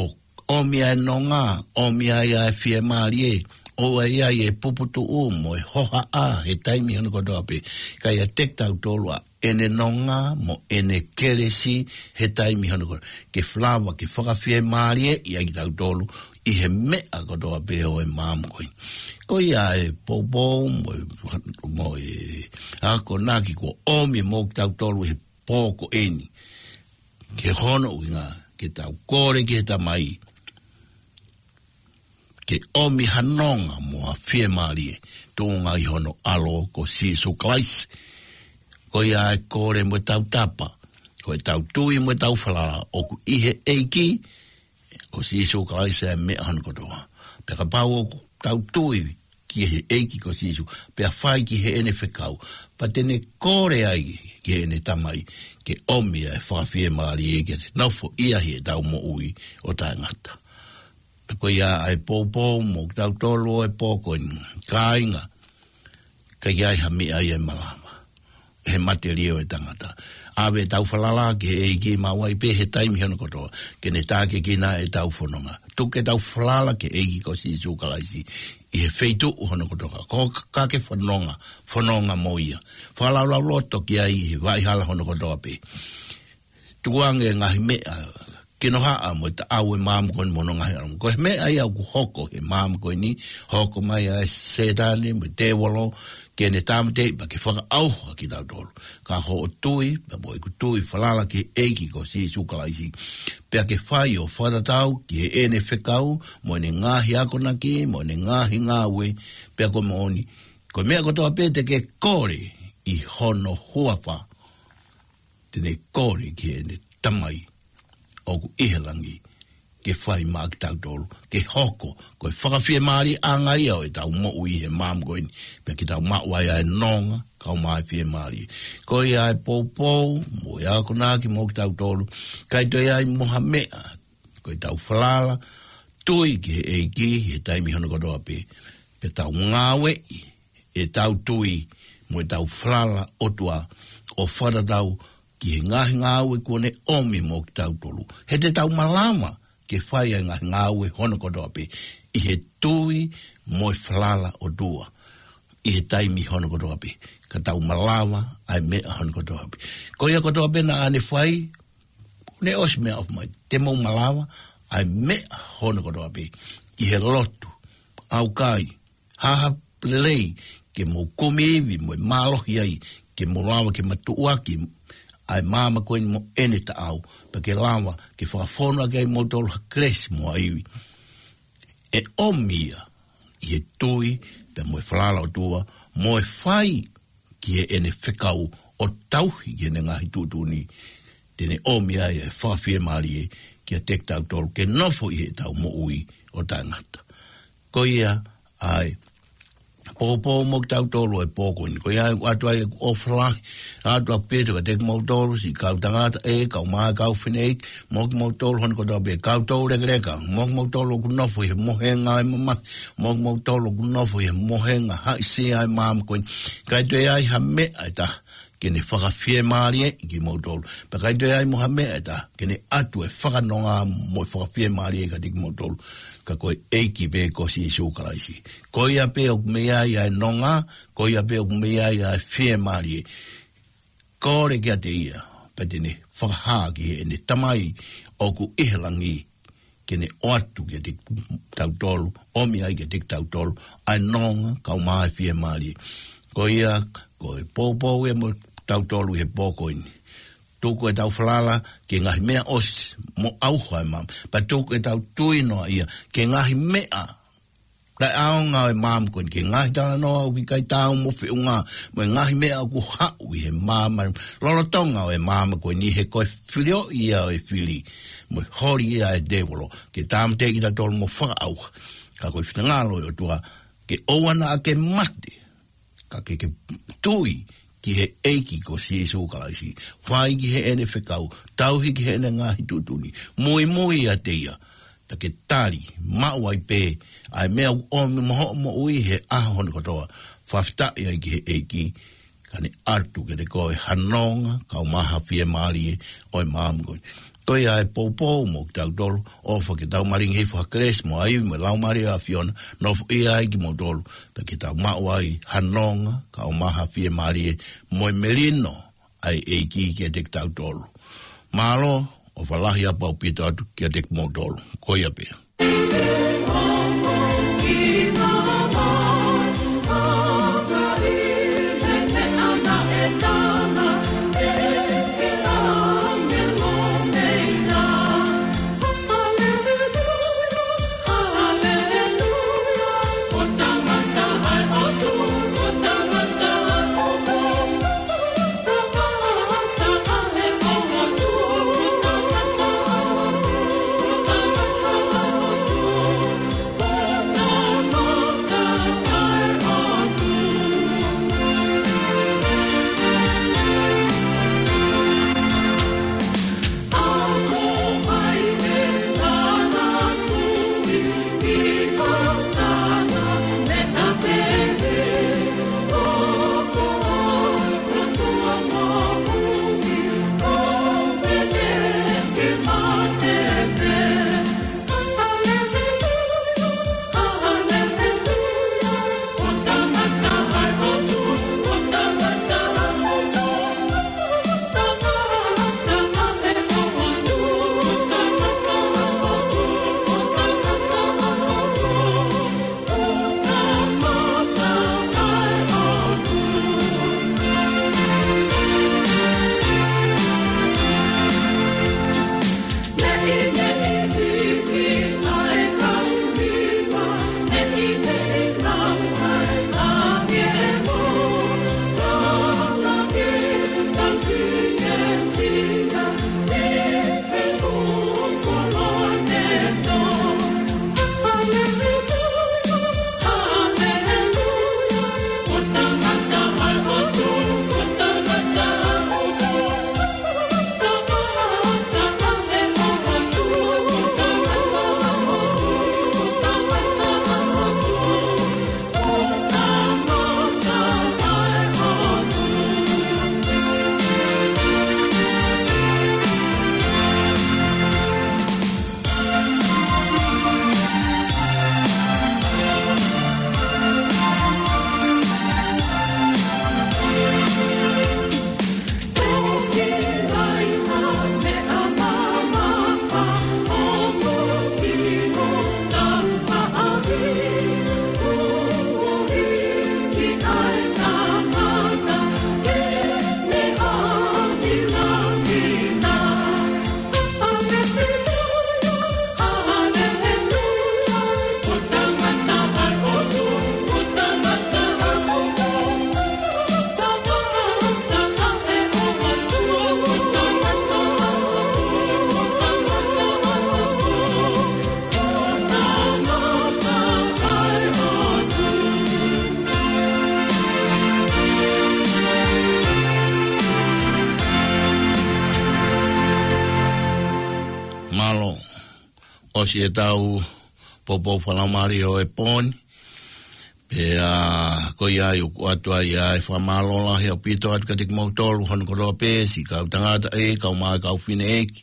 ʻomi ʻa e nonga, ʻomi ʻa e fiemālie, ʻoua ʻe ʻi ai e puputuʻu mo e hohaʻa he taimi hono kotoa pē. Ka ʻiate kitautolu ʻa ʻene nonga mo ʻene kelesi he taimi hono kotoa. Ke falava, ke fakafiemālieʻi ai kitautolu ʻi he meʻa kotoa pē ʻo e māmani ko eni. Ko ia e poupou mo e, mo e akonaki kuo ʻomi mo kitautolu he pō ko eni. Ke hono ʻuhinga, ke tau kole ki he Tamai, ke ʻomi ha nonga mo ha fiemālie, tuʻunga ʻi hono ʻAlo ko Sīsū Kalaisi. Ko ia e kole mo e tautapa, ko ʻetau tui mo ʻetau falala ʻoku ʻi he ʻEiki, ko Sīsū Kalaisi ʻa e meʻa hono kotoa. Pea kapau ʻoku tau tui ki he ʻEiki ko Sīsū, pea fai ki heʻene fekau, pea te ne kole ai ki heʻene Tamai, ke ʻomi ʻa e Fakafiemālie ke nofo ia ʻi heʻetau moʻui ʻo taʻengata. Pea ko ia ʻa e poupou mo kitautolu ʻo e pō ko eni, kāinga, ka ʻi ai ha meʻa ia ʻe malava ʻe he matelie ʻo e tangata. ʻAve ʻetau falala ki he ʻEiki maʻu ai pē he taimi hono kotoa, ke ne tākiekina ʻetau fononga. Tuku ke tau falala ki he ʻEiki ko Sīsū Kalaisi ʻi he feituʻu hono kotoa. Ko ka ke fononga, fononga mo ia. Fakalaulauloto ki ai he vaʻa hala hono kotoa pē. Tukuange ngaahi meʻa kinohaʻa mo e taʻau ʻo e maama ko eni mo hono ngaahi ʻalunga. Ko e meʻa ia ʻoku hoko he maama ko eni, hoko mai ʻa e Sētane mo e tēvolo ke ne tāmateʻi pea ke fakaʻauha kitautolu. Ka hoʻo tui, pea mo ʻeku tui, falala ki he ʻEiki ko Sīsū Kalaisi, pea ke fai ʻo fakatatau ki heʻene fekau mo ʻene ngaahi akonaki mo ʻene ngaahi ngāue, pea ko e moʻoni, ko e meʻa kotoa pē te ke kole ʻi hono huafa, te ne kole ki heʻene Tamai ʻoku ʻi he langi ke fai maʻa kitautolu, ke hoko ko e fakafiemālieʻanga ia ʻo ʻetau moʻui he maama ko eni, pea ke tau maʻu ai ʻa e nonga kae ʻumaʻā e fiemālie. Ko ia ʻa e poupou mo e akonaki mo kitautolu, ʻikai toe ʻi ai mo ha meʻa, ko ʻetau falala, tui ki he ʻEiki he taimi hono kotoa pē, pea tau ngāueʻi ʻetau tui mo ʻetau falala ʻOtua ʻo fakatatau ki he ngaahi ngāue kuo ne ʻomi mo kitautolu. He te tau malava ke fai ʻa e ngaahi ngāue hono kotoa pē ʻi he tui mo e falala ʻOtua ʻi he taimi hono kotoa pē, ka tau malava ʻa e meʻa hono kotoa pē. Ko ia kotoa pē naʻa ne fai, ne ʻosi meʻaʻofa mai, te mou malava ʻa e meʻa hono kotoa pē ʻi he lotu, ʻaukai, haʻahaʻa lelei, ke mou kumi ivi mo e mālohi ai, ke mou lava ke matuʻuaki ʻa e maama ko eni mo ʻene taʻau, pea ke lava ke fakafonu ʻaki ai moutolu ha kelesi mo ha ivi. ʻE ʻomi ia ʻi he tui pea mo e falala ʻOtua, mo e fai ki heʻene fekau ʻo tauhi ki heʻene ngaahi tuʻutuʻuni, te ne ʻomi ai e fakafiemālie kiate kitautolu ke nofo ʻi heʻetau moʻui ʻo taʻengata. Ko ia ʻa e poupou mo kitautolu ʻi he pō ko eni. Ko ia ʻoku ʻoatu ai ʻeku ʻofa lahi atu ʻaupito kiate kimoutolu, siʻi kau tangata ē, kau mā, kau fineʻeiki, mo kimoutolu hono kotoa pē, kau toulekeleka, mo kimoutolu ʻoku nofo ʻi he mohenga ʻo e mamahi, mo kimoutolu ʻoku nofo ʻi he mohenga haʻisia ʻo e maama ko eni. ʻIkai toe ʻi ai ha meʻa ʻe taha ke ne fakafiemālieʻi kimoutolu, pea ʻikai toe ʻi ai mo ha meʻa ʻe taha ke ne ʻatu e fakanonga mo e fakafiemālie kiate kimoutolu, ka ko e ʻEiki pē ko Sīsū Kalaisi. Ko ia pē ʻoku mei ai ʻa e nonga, ko ia pē ʻoku mei ai ʻa e fiemālie. Kole kiate ia, pea te ne fakahā ki heʻene Tamai ʻoku ʻi he langi ke ne ʻoatu kiate kitautolu, ʻomi ai kiate kitautolu ʻa e nonga kae ʻumaʻā e fiemālie. Ko ia, ko e poupou ia mo kitautolu he pō ko eni. Tuku ʻetau falala ki he ngaahi meʻa ʻosi mo ʻauha e maama, pea tuku ʻetau tui noa ia ki he ngaahi meʻa taʻeʻaonga ʻo e maama ko eni, ki he ngaahi talanoa ʻoku ʻikai taau mo feʻunga mo e ngaahi meʻa ʻoku haʻu ʻi he maama, lolotonga ʻo e maama ko eni, he ko e filioʻi ia ʻo e fili mo e holi ia ʻa e tēvolo ke tāmateʻi kitautolu mo fakaʻauha. Ka ko e finangalo ʻo e ʻOtua ke ʻoua naʻa ke mate, ka ke, ke tui ki he ʻEiki ko Sīsū Kalaisi, fai ki heʻene fekau, tauhi ki heʻene ngaahi tuʻutuʻuni, muimui ʻiate ia, pea ke tali, maʻu ai pē ʻa e meʻa ʻoku ʻomi mo hoʻo moʻui he ʻaho hono kotoa, fakafetaʻi ai ki he ʻEiki, ka ne ʻatu kiate koe ha nonga kae ʻumaʻā ha fiemālie ʻo e maama ko eni. Ko ia e poupou mo kitautolu, ʻofa ke tau malingi hifo ha kelesi mo ha ivi mo e Laumālie ʻo e ʻAfiona, nofoʻia ai kimoutolu, pea ke tau maʻu ai ha nonga kae ʻumaʻā ha fiemālie mo e melino ʻa e ʻEiki kiate kitautolu. Mālō, ʻofa lahi ʻaupito atu kiate kimoutolu. Ko ia pē. Mālō. ʻOsi ʻetau poupou fakalaumālie ʻo e pō ni. Pea ko ia ai ʻoku ʻoatu ai ʻa e fakamālō lahi ʻaupito atu kiate kimoutolu hono kotoa pē, siʻi kau tangata ē, kau mai kau fineʻeiki.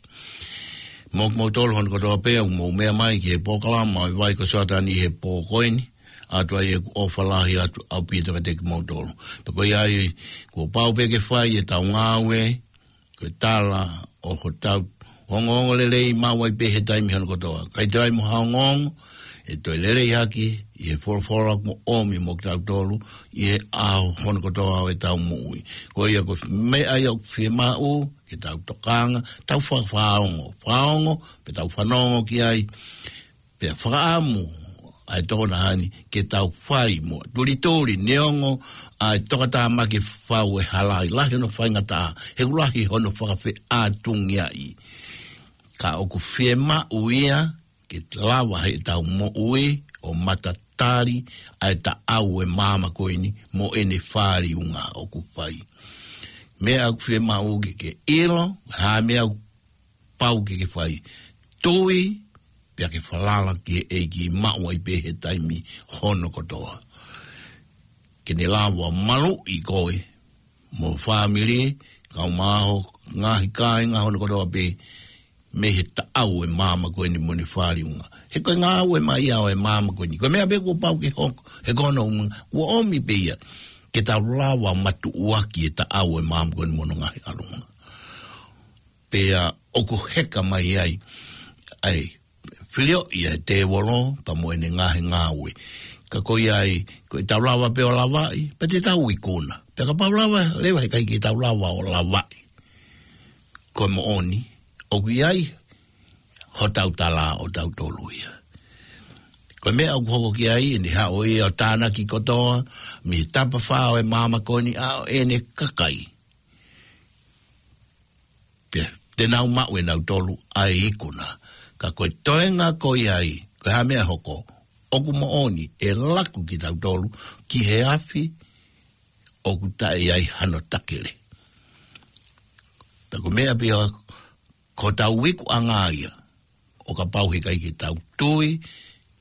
Mo kimoutolu hono kotoa pē, ʻoku mou meʻa mai ki he polokalama ʻo e Vai ko Soatani he pō ko eni. ʻOatu ai ʻeku ʻofa lahi atu ʻaupito kiate kimoutolu. Pea ko ia ai, kuo pau pē ke fai ʻetau ngāue, ko e tala ʻo hotau ongoongo lelei maʻu ai pē he taimi hono kotoa. ʻIkai toe ʻi ai mo ha ongoongo ʻe toe lelei hake ʻi he folofola kuo ʻomi mo kitautolu ʻi he ʻaho hono kotoa ʻo ʻetau moʻui. Ko ia ko e meʻa ia ʻoku fiemaʻu ke tau tokanga, tau fa-, fakaongo, fakaongo, pea tau fanongo ki ai, pea fakaʻamu ʻa e tokotaha ni ke tau fai mo tulituli, neongo ʻa e tokotaha ma ke fau e hala ʻi lahi hono faingataʻa, he ʻoku lahi hono fakafeʻātungiaʻi. Ka ʻoku fiemaʻu ia ke lava heʻetau moʻui ʻo matatali ʻa e taʻau ʻo e maama ko eni mo ʻene fāliunga ʻoku fai. Meʻa ʻoku fiemaʻu ke ke ʻilo, ha meʻa ʻoku pau ke ke fai. Tui, pea ke falala ki he ʻEiki maʻu ai pē he taimi hono kotoa. Ke ne lava maluʻi koe, mo e fāmili, kau mai ho ngaahi kāinga hono kotoa pē, mei he taʻau ʻo e maama ko eni mo ʻene fāliunga. He ko e ngāue mai ia ʻo e maama ko eni. Ko e meʻa pē kuo pau ke hoko, he ko hono ʻuhinga, kuo ʻomi pē ia, ke tau lava matuʻuaki e taʻau ʻo e maama ko eni mo hono ngaahi ʻalunga. Pea ʻoku heka mai ai, ʻa e filioʻi ʻa e tēvolo, pea mo ʻene ngaahi ngāue. Ka ko ia ai, ko ʻetau lava pē ʻo lavaʻi, pea te tau ikuna. Pea kapau leva, leva heʻikai ke tau lava ʻo lavaʻi, ko e moʻoni, ʻoku ʻi ai hotau tala ʻo tautolu ia. Ko e meʻa ʻoku hoko ki ai, ʻene haʻu ia ʻo tānaki kotoa, mei he tapafā ʻo e maama ko eni ʻa ʻene kakai. Pea te nau maʻu ʻe nautolu ʻa e ikuna. Ka ko e toenga ko ia ai, ko e hā meʻa hoko, ʻoku moʻoni ʻe laku kitautolu ki he afi ʻoku taʻe ʻi ai hano takele. Pea ko e meʻa pē ia, ko hotau ikuʻanga ia, ʻo kapau heʻikai ke tau tui,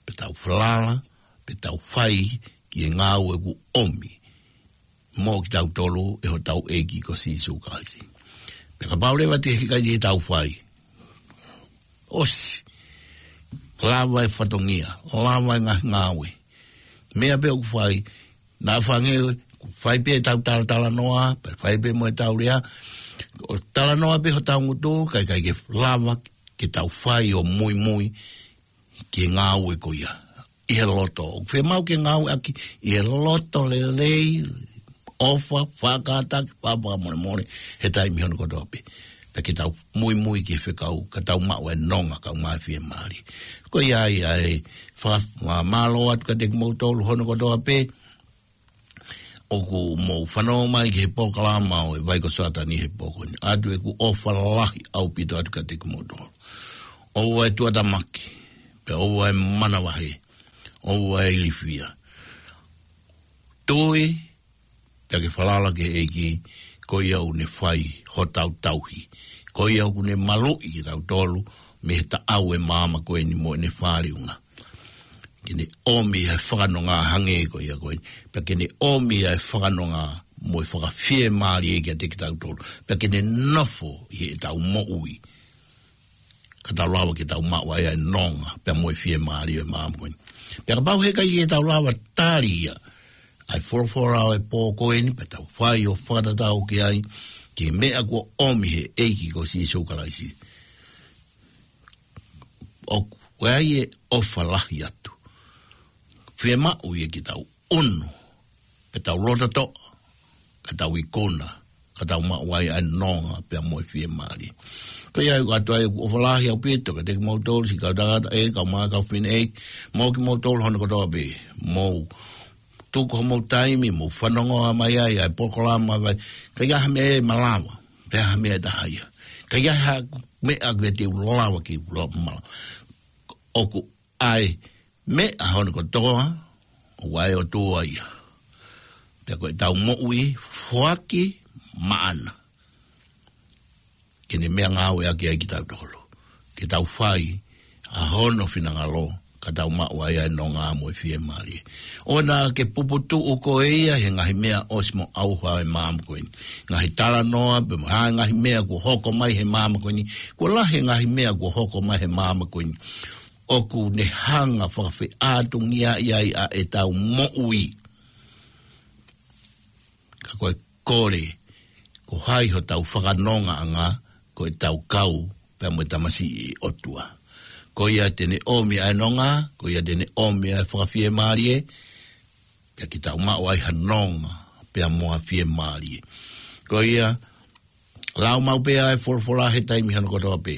pe tau falala, pe tau fai ki he ngāue kuo ʻomi mo kitautolu ʻe hotau ʻEiki ko Sīsū Kalaisi. Pea kapau leva te heʻikai te tau fai, ʻosi, lava e fatongia, lava e ngaahi ngāue. Meʻa pē ʻoku fai, naʻa fange, fai pē ʻetau talatalanoa, pea fai pē mo ʻetau lea, ʻo talanoa pē hotau ngutu, kae ʻikai ke lava ke tau fai ʻo muimui ki he ngāue ko ia. ʻI he loto, ʻoku fiemaʻu ke ngāueʻaki ʻi he loto lelei, ʻofa, fakataki, fakamolemole, he taimi hono kotoa pē. Pea ke tau muimui ki he fekau, ka tau maʻu e nonga, kau mai fiemālie. Ko ia ai ʻa e fakamālō atu kiate kimoutolu hono kotoa pē, ʻoku mou fanongo mai ki he polokalama ʻo e Vai ko Soatani he pō ko eni. ʻOatu ʻeku ʻofa lahi ʻaupito atu kiate kimoutolu. ʻOua ʻe tuʻatāmaki, pea ʻoua ʻe manavahē, ʻoua ʻe ilifia. Tui, pea ke falala ki he ʻEiki, ko ia ʻoku ne fai hotau tauhi. Ko ia ʻoku ne maluʻi kitautolu, mei he taʻau ʻo e maama ko eni mo ʻene fāliunga. Ke ne ʻomi ʻa e fakanonga hangē ko ia ko ē. Pea ke ne ʻomi ʻa e fakanonga mo e fakafiemālie kiate kitautolu. Pea ke ne nofo ʻi heʻetau moʻui. Ka tau lava ke tau maʻu ai ʻa e nonga, pea mo e fiemālie ʻo e maama ko eni. Pea kapau heʻikai ke tau lava tali ia ʻa e folofola ʻo e pō ko eni, pea tau fai ʻo fakatatau ki ai, ki he meʻa kuo ʻomi he ʻEiki ko Sīsū Kalaisi. ʻOku ʻi ai e ʻofa lahi atu. Fiemaʻu ia ke tau ʻunu, pea tau loto toʻa, ka tau ikuna, ka tau maʻu ai ʻa e nonga pea mo e fiemālie. Ko ia ʻoku ʻoatu ai ʻeku ʻofa lahi ʻaupito kiate kimoutolu, siʻi kau tangata ē, kau mai kau fineʻeiki, mo kimoutolu hono kotoa pē, mou tuku homou taimi, mou fanongo mai ai ʻa e polokalama vai, ka ʻi ai ha meʻa ʻe malava, pe ha meʻa ʻe taha ia. Ka ʻi ai ha meʻa ʻoku te u lava ke u lava malava. ʻOku ʻi ai meʻa hono kotoa, ʻoku ʻa e ʻOtua ia. Pea ko ʻetau moʻui foaki maʻana. Ke ne meʻangāueʻaki ai kitautolu. ke tau fai ʻa hono finangalo, ka tau maʻu ai ʻa e nonga mo e fiemālie. ʻOua naʻa ke puputuʻu koe ia he ngaahi meʻa ʻosi mo ʻauha ʻo e maama ko eni. Ngaahi talanoa, pe mo ha ngaahi meʻa kuo hoko mai he maama ko eni. Kuo lahi e ngaahi meʻa kuo hoko mai he maama ko eni ʻoku ne hanga fakafeʻātungiaʻi ai ʻa ʻetau moʻui. Ka ko e kole, ko hai hotau fakanongaʻanga, ko ʻetau kau pea mo e tamasiʻi ʻo e ʻOtua. Ko ia te ne ʻomi ʻa e nonga, ko ia te ne ʻomi ʻa e fakafiemālie, pea ke tau maʻu ai ha nonga pea mo ha fiemālie. Ko ia, lau maʻu pē ʻa e folofola he taimi hono kotoa pē.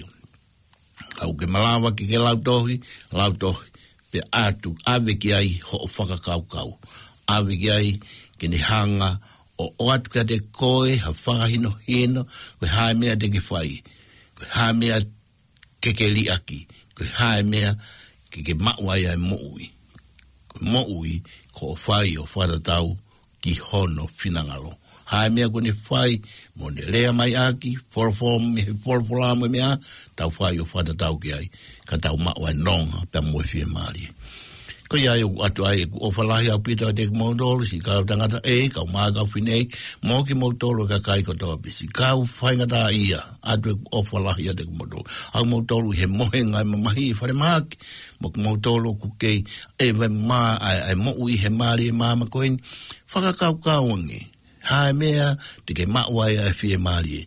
Kapau ʻoku ke malava ke ke lau tohi, lau tohi, pea ʻatu, ʻave ki ai hoʻo fakakaukau. ʻAve ki ai ke ne hanga ʻo ʻoatu kiate koe ha fakahinohino, ko e hā e meʻa te ke fai, ko e hā e meʻa ke ke liʻaki, ko e hā e meʻa ke ke maʻu ai ʻa e moʻui. Ko e moʻui, ko hoʻo fai ʻo fakatatau ki hono finangalo. Hā e meʻa kuo ne fai, mo ne lea mai ʻaki, folofola mei he folofola mo e meʻa, tau fai ʻo fakatatau ki ai, ka tau maʻu ʻa e nonga pea mo e fiemālie. Ko ia ai ʻoku ʻoatu ai ʻeku ʻofa lahi ʻaupito ʻiate kimoutolu, siʻi kau tangata ē, kau mā kau fefine, mo kimoutolu kakai kotoa pē, siʻi kau faingataʻaʻia, ʻoatu ʻeku ʻofa lahi ʻiate kimoutolu. Au moutolu he mohenga ʻa e mamahi ʻi falemahaki, mo kimoutolu ʻoku kei ʻeva mā ʻa e, ʻa e moʻui he mālie maama ko eni, fakakaukau ange. Hā e meʻa te ke maʻu ai ʻa e fiemālie.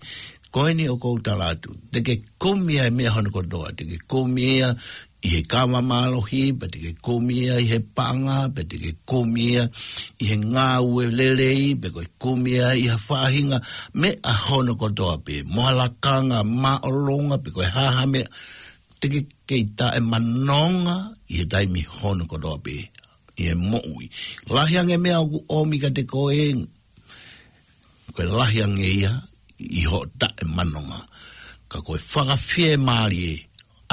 Ko eni ʻoku ou tala atu, te ke kumi ʻa e meʻa hono kotoa, te ke kumi ia ʻi he kava mālohi, pea te ke kumi ia ʻi he paʻanga, pea te ke kumi ia ʻi he ngāue lelei, pe ko e kumi ia ʻi ha faʻahinga meʻa hono kotoa pē, mo ha lakanga māʻolunga, pe ko e hā ha meʻa, te ke kei taʻemanonga ʻi he taimi hono kotoa pē ʻi he moʻui. Lahi ange meʻa ʻoku ʻomi kiate koe, ko e lahi ange ia ʻi hoʻo taʻemanonga. Ka ko e fakafiemālie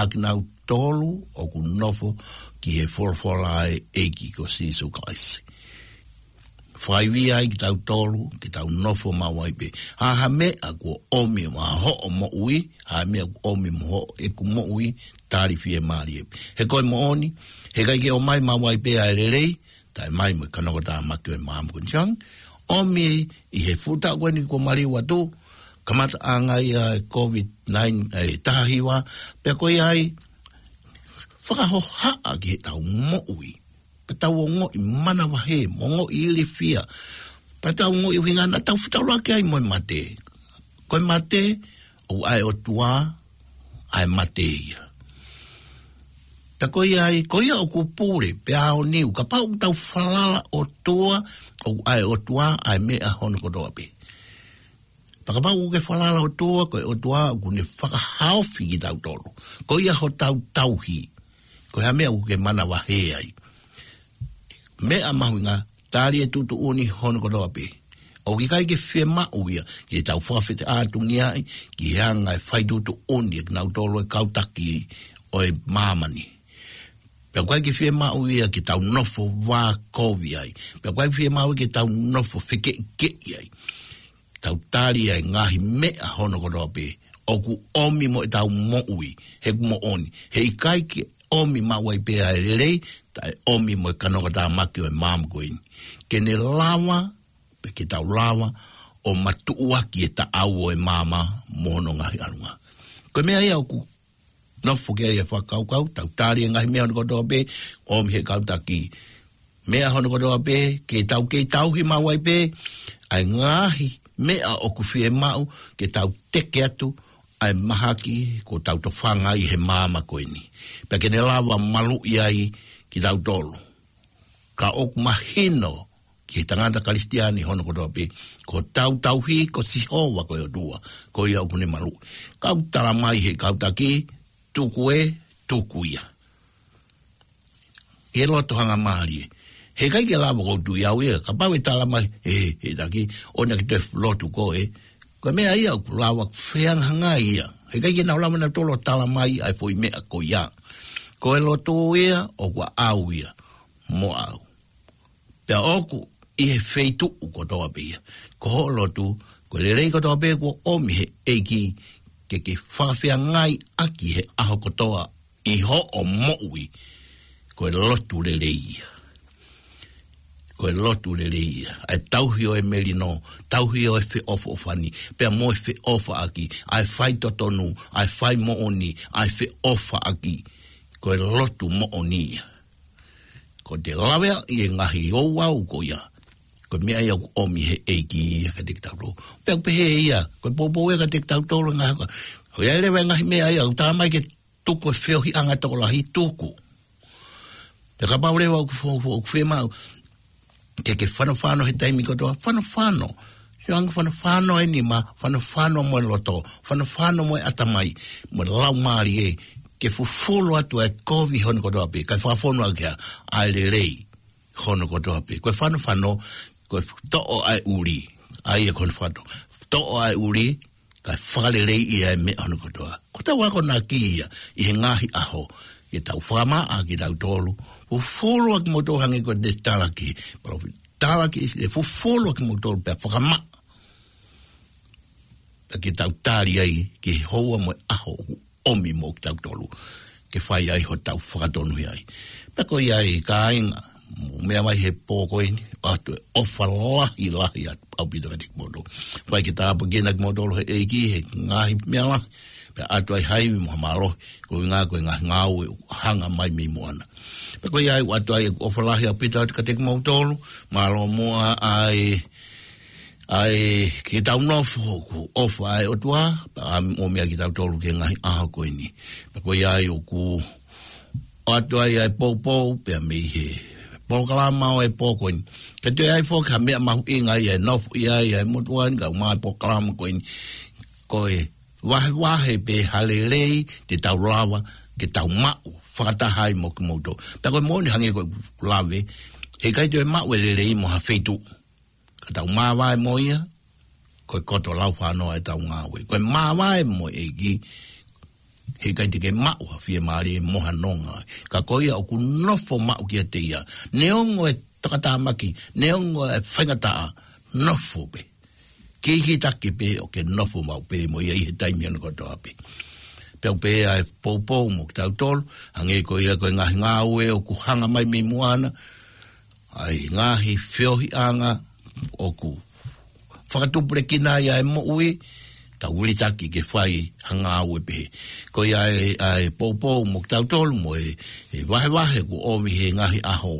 ʻa kinautolu ʻoku nofo ki he folofola ʻa e ʻEiki ko Sīsū Kalaisi. Fakaivia ai kitautolu, ke tau nofo maʻu ai pē. Hā ha meʻa kuo ʻomi mo hoʻo moʻui, hā ha meʻa kuo ʻomi mo hoʻeku moʻui, tali fiemālie. He ko e moʻoni, heʻikai ke ʻomai maʻu ai pē ʻa e lelei, taʻe mai mo e kanokatāmaki ʻo e maama ko eni. Sai ange, ʻomi ʻi he fuʻu taʻu ko eni kuo maliu atu, kamataʻanga ia ʻa e COVID nine, ʻa e taha hiva, pea ko ia ai, fakahohaʻa ki heʻetau moʻui. Pea tau ongoʻi manavahē, mo ongoʻi ilifia. Pea tau ongoʻi ʻuhinga naʻa tau fetaulaki ai mo e mate. Ko e mate, ʻoku ʻa e ʻOtua, ʻa e mate ia. Pea ko ia ai, ko ia ʻoku pule, pea aoniu, kapau ʻoku tau falala ʻOtua, ʻoku ʻa e ʻOtua, ʻa e meʻa hono kotoa pē. Pea kapau ʻoku ke falala ʻOtua, ko e ʻOtua ʻoku ne fakahaofi kitautolu. Ko ia hotau tauhi. Ko e hā e meʻa ʻoku ke manavahē ai. Meʻa mahuʻinga, tali e tuʻutuʻuni hono kotoa pē. ʻOku ʻikai ke fiemaʻu ia, ke tau fakafeʻātungiaʻi, ki he anga e fai tuʻutuʻuni, ʻe kinautolu e kau taki ʻo e māmani. Pea ʻoku ʻikai ke fiemaʻu ia ke tau nofo vākovi ai. Pea ʻoku ʻikai fiemaʻu ia ke tau nofo fekeʻikeʻi ai. Tau tali ʻa e ngaahi meʻa hono kotoa pē ʻoku ʻomi mo ʻetau moʻui, he ʻoku moʻoni. Heʻikai ke ʻomi maʻu ai pē ʻa e lelei, taʻe ʻomi mo e kanokatāmaki ʻo e maama ko eni. Ke ne lava, pe ke tau lava, ʻo matuʻuaki e taʻau ʻo e maama mo hono ngaahi ʻalunga. Ko e meʻa ia ʻoku nofo ki ai e fakakaukau, tau tali e ngaahi meʻa hono kotoa pē, ʻomi he kau taki. Meʻa hono kotoa pē, ke tau kei tauhi maʻu ai pē, ʻa e ngaahi meʻa ʻoku fiemaʻu, ke tau teke atu, ʻa e mahaki, kuo tau tofanga ai he maama ko eni. Pea ke ne lava maluʻi ai kitautolu. Ka ʻoku mahino, ki he tangata Kalisitiane hono kotoa pē, ko hotau tauhi, ko Sihova ko e ʻOtua, ko ia ʻoku ne maluʻi. Kau tala mai he kau taki, tuku ē, tuku ia. ʻI he loto hangamālie. Heʻikai ke lava ʻo tui au ia, kapau ʻe tala mai, ē, he taki, ʻoua naʻa ke toe lotu koe. Ko e meʻa ia ʻoku lava fehangahangai ia. Heʻikai ke nau lava nautolu ʻo tala mai ʻa e foʻi meʻa ko ia. Ko e lotu ia, ʻoku ʻaʻau ia, mo au. Pea ʻoku ʻi he feituʻu kotoa pē ia. Ko hoʻo lotu, ko e lelei kotoa pē kuo ʻomi he ʻEiki ke ke fakafeangai ʻaki he ʻaho kotoa ʻi hoʻo moʻui, ko e lotu lelei ia. Ko e lotu lelei ia. ʻA e tauhi ʻo e melino, tauhi ʻo e feʻofoʻofani, pea mo e feʻofaʻaki, ʻa e faitotonu, ʻa e faimoʻoni, ʻa e feʻofaʻaki. Ko e lotu moʻoni ia. Ko ʻete laveaʻi e ngaahi ouau ko ia, ko e meʻa ia ʻoku ʻomi he ʻEiki ia kiate kitautolu. Pea ʻoku pehē ia, ko e poupou ia kiate kitautolu ngaahi, ko ia leva e ngaahi meʻa ia, ʻoku tā mai ke tuku e feohiʻanga tokolahi, tuku. Pea kapau leva ʻoku fo-, fo-, ʻoku fiemaʻu ke ke fanofano he taimi kotoa, fanofano. Sio ange, fanofano e nima, fanofano mo e loto, fanofano mo e ʻatamai, mo e laumālie, ke fufulu atu e kovi hono kotoa pē, kae fakafonu ʻaki ʻa e lelei hono kotoa pē. Ko e fanofano, ko e toʻo ʻa e ʻuli, ʻa ia ko hono fano. Toʻo ʻa e ʻuli, kae fakaleleiʻi ʻa e meʻa hono kotoa. Ko ʻetau akonaki ia ʻi he ngaahi ʻaho, ke tau fakamaʻa kitautolu, fufulu ʻa kimoutolu hangē ko e talaki, palōfita, talaki ʻi he fufulu ʻa kimoutolu pea fakamaʻa. Pea ke tau tali ai ki he houa mo e ʻaho ʻoku ʻomi mo kitautolu, ke fai ai hotau fakatonuhia ai. Pea ko ia ai kāinga, mou meʻa mai he pō ko eni, ʻoatu e ʻofa lahi lahi atu ʻaupito kiate kimoutolu. Fai ke tāpuekina kimoutolu he ʻEiki he ngaahi meʻa lahi, pea ʻoatu ai ha ivi mo ha mālohi, ko e ʻuhinga ko e ngaahi ngāue ʻoku hanga mai mei muʻa na. Pea ko ia ai ʻoatu ai ʻofa lahi ʻaupito atu kiate kimoutolu, mālō muʻa ʻa e ʻa e ke tau nofo ʻoku ʻofa ʻa e ʻOtua, pea ʻomi ʻa kitautolu ki he ngaahi ʻaho ko eni. Pea ko ia ai ʻoku ʻoatu ai ʻa e poupou, pea mei he polokalama ʻo e pō ko eni. Ka toe ʻi ai foki ha meʻa mahuʻinga ia ʻe nofo ʻi ai ʻa e motuʻa ni, kae ʻumaʻā e polokalama ko eni. Ko e vahevahe pē ha lelei te tau lava ke tau maʻu fakataha ai mo kimoutolu. Pea ko e moʻoni hangē ko e lave, heʻikai toe maʻu e lelei mo ha feituʻu. Ka tau māvae mo ia, ko e koto laufānō ʻetau ngāue. Ko e māvae mo e ʻEiki, heʻikai te ke maʻu ha fiemālie mo ha nonga. Ka ko ia ʻoku nofo maʻu kiate ia. Neongo e takatāmaki, neongo e faingataʻa, nofo pē. Kikitaki pē ʻo ke nofo maʻu pē mo ia ʻi he taimi hono kotoa pē. Pea ʻoku pehē ʻa e poupou mo kitautolu, hangē ko ia ko e ngaahi ngāue ʻoku hanga mai mei muʻa na, ʻa e ngaahi feohiʻanga ʻoku fakatupulekina ai ʻa e moʻui, tau vilitaki ke fai ha ngāue pehē. Ko ia ʻa e, ʻa e poupou mo kitautolu mo e, e vahevahe kuo ʻomi he ngaahi ʻaho,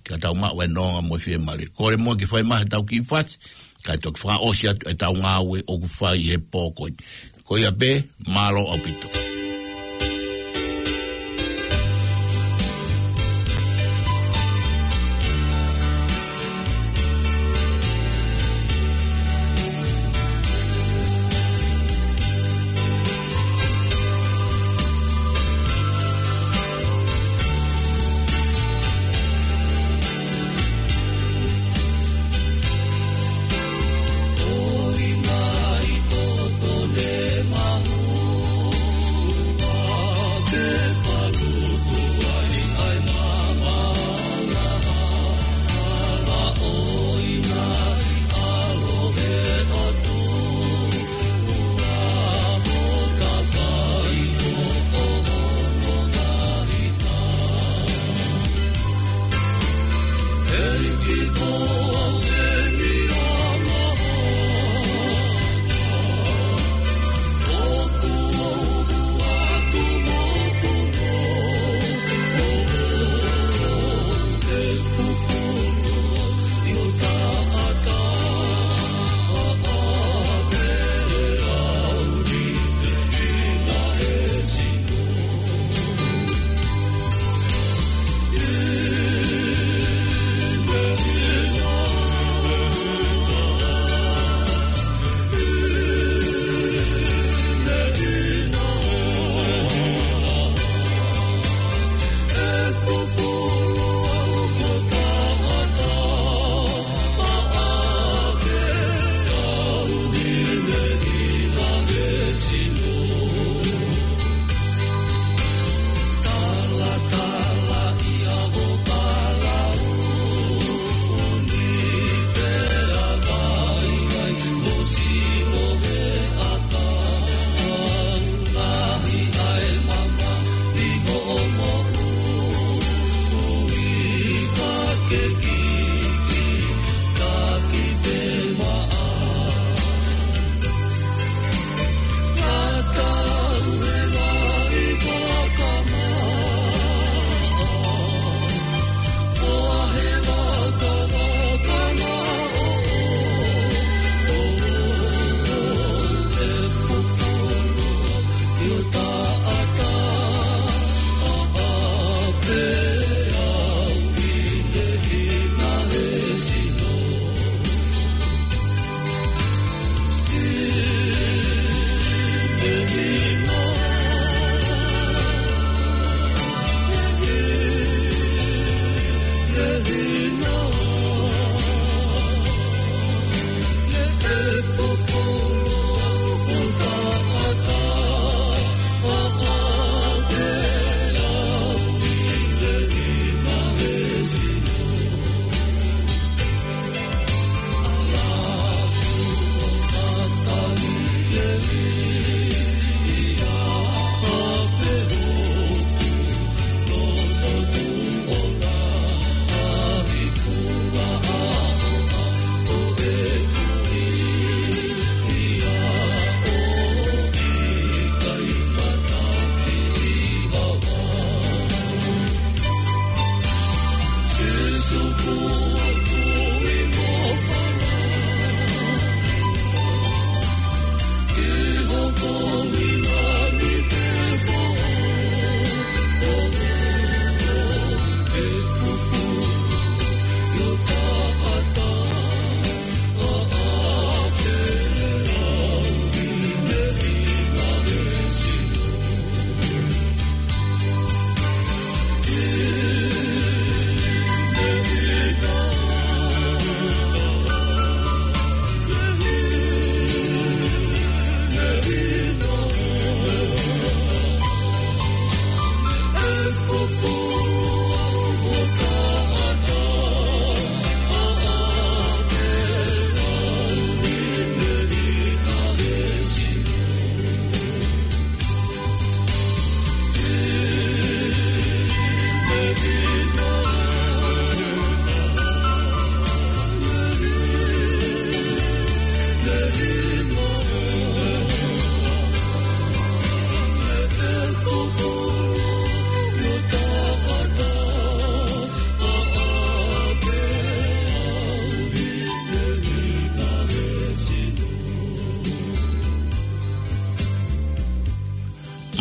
ke tau maʻu e nonga mo e fiemālie. Kole muʻa ke fai mai haʻatau kiʻi fasi, kae toki fakaʻosi atu ʻetau ngāue ʻoku fai he pō ko eni. Ko ia pē, mālō ʻaupito.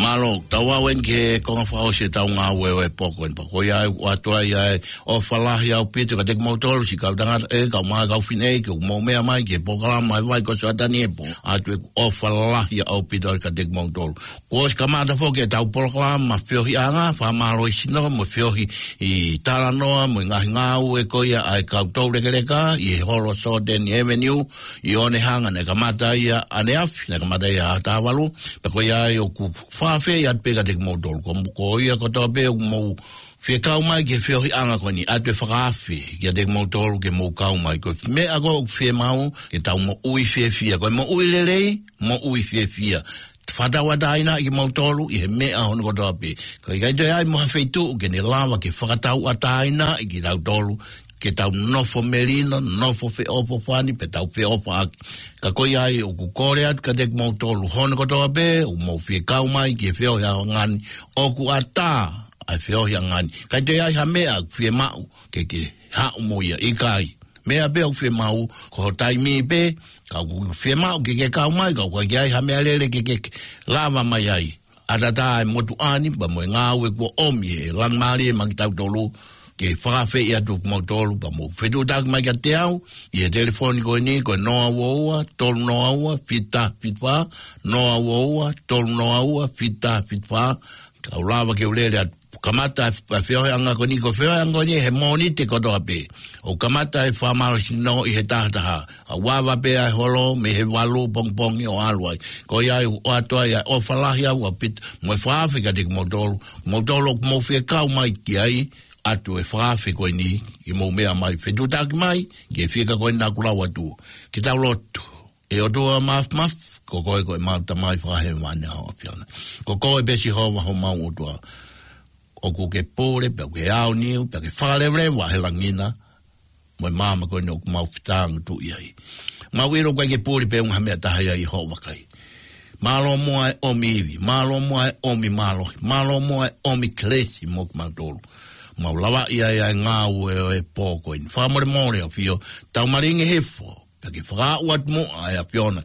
Mālō, tau aʻu eni ki he konga fakaʻosi ʻetau ngāue ʻo e pō ko eni pea ko ia ʻoku ʻoatu ai ʻa e ʻofa lahi ʻaupito kiate kimoutolu siʻi kau tangata ē, kau mā, kau fineʻeiki ʻoku mou meʻa mai ki he polokalama ʻa e Vai ko Soatani ʻi he Pō. ʻOatu ʻeku ʻofa lahi ʻaupito kiate kimoutolu. Kuo ʻosi kamata foki ʻetau polokalama feohiʻanga, fakamālohisino mo e feohi ʻi he talanoa mo e ngaahi ngāue ko ia ʻa e kau toulekeleka ʻi he holo Soatani Avenue ʻi ʻOnehunga, naʻe kamata ia ʻaneafi, naʻe kamata ia ʻaho taha valu, pea ko ia ai ʻoku fakaafeʻi atu pē kiate kimoutolu. Ko, ko ia kotoa pē ʻoku mou fie kau mai ki he feohiʻanga ko eni, ʻoatu e fakaafe kiate kimoutolu ke mou kau mai. Ko e meʻa ko ē ʻoku fiemaʻu ke tau moʻui fiefia. Ko e moʻui lelei, moʻui fiefia. Fakatauʻatāinaʻi kimoutolu ʻi he meʻa hono kotoa pē. Ka ʻikai toe ʻi ai mo ha feituʻu ke ne lava ke fakatauʻatāinaʻi kitautolu ke tau nofo melino, nofo feʻofoʻofani, pe tau feʻofaʻaki. Ka ko ia ai ʻoku kole atu kiate kimoutolu hono kotoa pē ʻoku mou fie kau mai ki he feohiʻanga ni, ʻoku ʻatā ʻa e feohiʻanga ni. ʻIkai toe ʻi ai ha meʻa ʻoku fiemaʻu ke, ke haʻu mo ia, ʻikai. Meʻa pē ʻoku fiemaʻu ko ho taimi pē, ka ʻoku fiemaʻu ke ke kau mai, ka ʻoku ʻikai ke ʻi ai ha meʻalele ke, ke, ke lava mai ai. ʻAtatā e motuʻa ni pea mo e ngāue kuo ʻomi ʻe he Laumālie maʻa kitautolu, ke fakaafeʻi atu kimoutolu pea mou fetuʻutaki mai kiate au ʻi he telefoni ko eni ko e noa ua ua, tolu noa ua, fitu taha fitu fā, noa ua ua, tolu noa ua, fitu taha fitu fā, ka u lava ke u lele atu. Kamata e feohiʻanga ko eni, ko e feohiʻanga ko eni he Mōnite kotoa pē. ʻOku kamata e fakamālohisino ʻi he taha taha. ʻOku ava pē ʻa e holo mei he valu pongipongi ʻo ʻalu ai. Ko ia ai ʻoku ʻoatu ai ʻa e ʻofa lahi ʻaupito mo e fakaafe kiate kimoutolu. Moutolu ʻoku mou fie kau mai ki ai, ʻoatu e fakaafe ko eni ke mou meʻa mai, fetuʻutaki mai ki he fiekaʻanga ko eni naʻa ku lau atu. Ke tau lotu. ʻE ʻOtua Māfimafi, ko koe ko ʻemau Tamai Fakahēvani ʻa ho ʻAfiona. Ko koe pē Sihova homau ʻOtua. ʻoku ke pule, pea ʻoku ke aoniu, pea ke fakaleveleva he langi na, mo e maama ko eni ʻoku mau fetāngutuʻi ai. Mau ʻilo ʻoku ʻikai ke pule pē ʻi ha meʻa ʻe taha ia ʻi hoʻo vakai. Mālō muʻa e ʻomi ivi, mālō muʻa e ʻomi mālohi, mālō muʻa e ʻomi kelesi mo kimautolu. Mau lavaʻi ai ʻa e ngāue ʻo e pō ko eni. Fakamolemole ʻAfio, tau malingi hifo, pea ke fakaaʻu atu muʻa ʻe ʻAfiona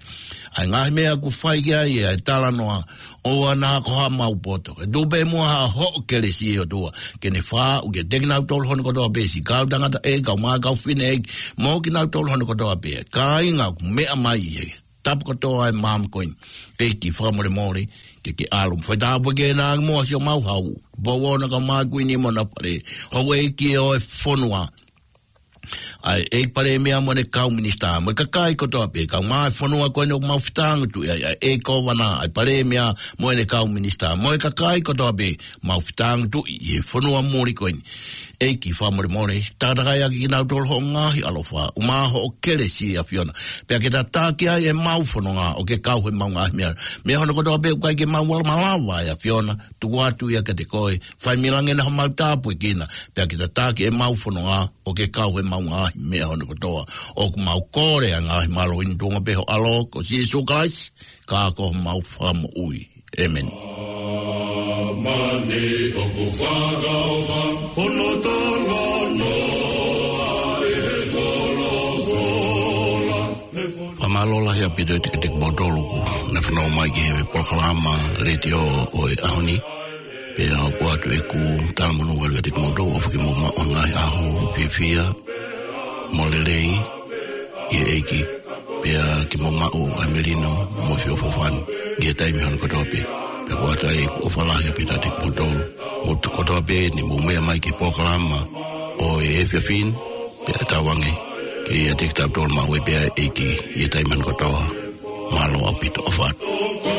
ʻa e ngaahi meʻa ʻoku fai ki ai ʻa e talanoa, ʻoua naʻa ko haʻamau poto. Ke tuʻu pē muʻa ha hoʻo kelesi ʻOtua, ke ne fakaaʻu kiate kinautolu hono kotoa pē, siʻi kau tangata ʻeiki, kau mā kau fefine ʻeiki, mo kinautolu hono kotoa pē. Kāinga ʻoku meʻa mai he tapu kotoa ʻo e maama ko eni. ʻEiki fakamolemole, ke ke ʻalu. Fai tāpuekina ange muʻa siʻomau hau. Pouona kae ʻumaʻā e Kuini mo hona fale. Houʻeiki ʻo e fonua. ʻA e ʻEiki Palēmia mo ʻene kau minisitā. Mo e kakai kotoa pē. Kau mā e fonua ko eni ʻoku mau fetāngutuʻi ai. ʻA e ʻEiki Kōvana, ʻa e Palēmia mo ʻene kau minisitā. Mo e kakai kotoa pē. Mau fetāngutuʻi ʻi he fonua muli ko eni. ʻEiki fakamolemole, takatakai ʻaki kinautolu hoʻo ngaahi ʻaloʻofa, ʻumaʻā hoʻo kelesi ʻAfiona. Pea ke tataki ai ʻemau fononga ʻo ke kau heʻemau ngaahi meʻa. Meʻa hono kotoa pē ʻoku ʻikai ke mau ala malava ʻe ʻAfiona, tuku atu ia kiate koe, fai mei langi na homau tāpuekina, pea ke tataki ʻemau fononga ʻo ke kau heʻemau ngaahi meʻa hono kotoa. ʻOku mau kole ʻa e ngaahi mālohi ni ʻi he tuʻunga pē ho ʻAlo ko Sīsū Kalaisi, ka ko homau Fakamoʻui. ʻĒmeni. Māmani ʻoku fakaʻofa, hono talanoa ʻe he folofola. Fakamālō lahi ʻaupito ʻiate kimoutolu kuo ne fanongo mai ki he polokalama letiō ʻo e ʻaho ni. Pea ʻoku ʻoatu ʻeku talamonū atu kiate kimoutolu ʻofa ke mou maʻu ha ngaahi ʻaho fiefia mo lelei ʻi he ʻEiki. Pea ke mou maʻu ʻa e melino mo e feʻofoʻofani ʻi he taimi hono kotoa pē. Pea ʻoku ʻoatu ai ʻeku ʻofa lahi ʻaupito ʻiate kimoutolu. Mou kotoa pē ʻoku mou meʻa mai ki he polokalama ʻo e efiafi ni, pea tauange ke ʻiate kitautolu maʻu ai pē ʻa e ʻEiki ʻi he taimi hono kotoa. Mālō ʻaupito, ʻofa atu.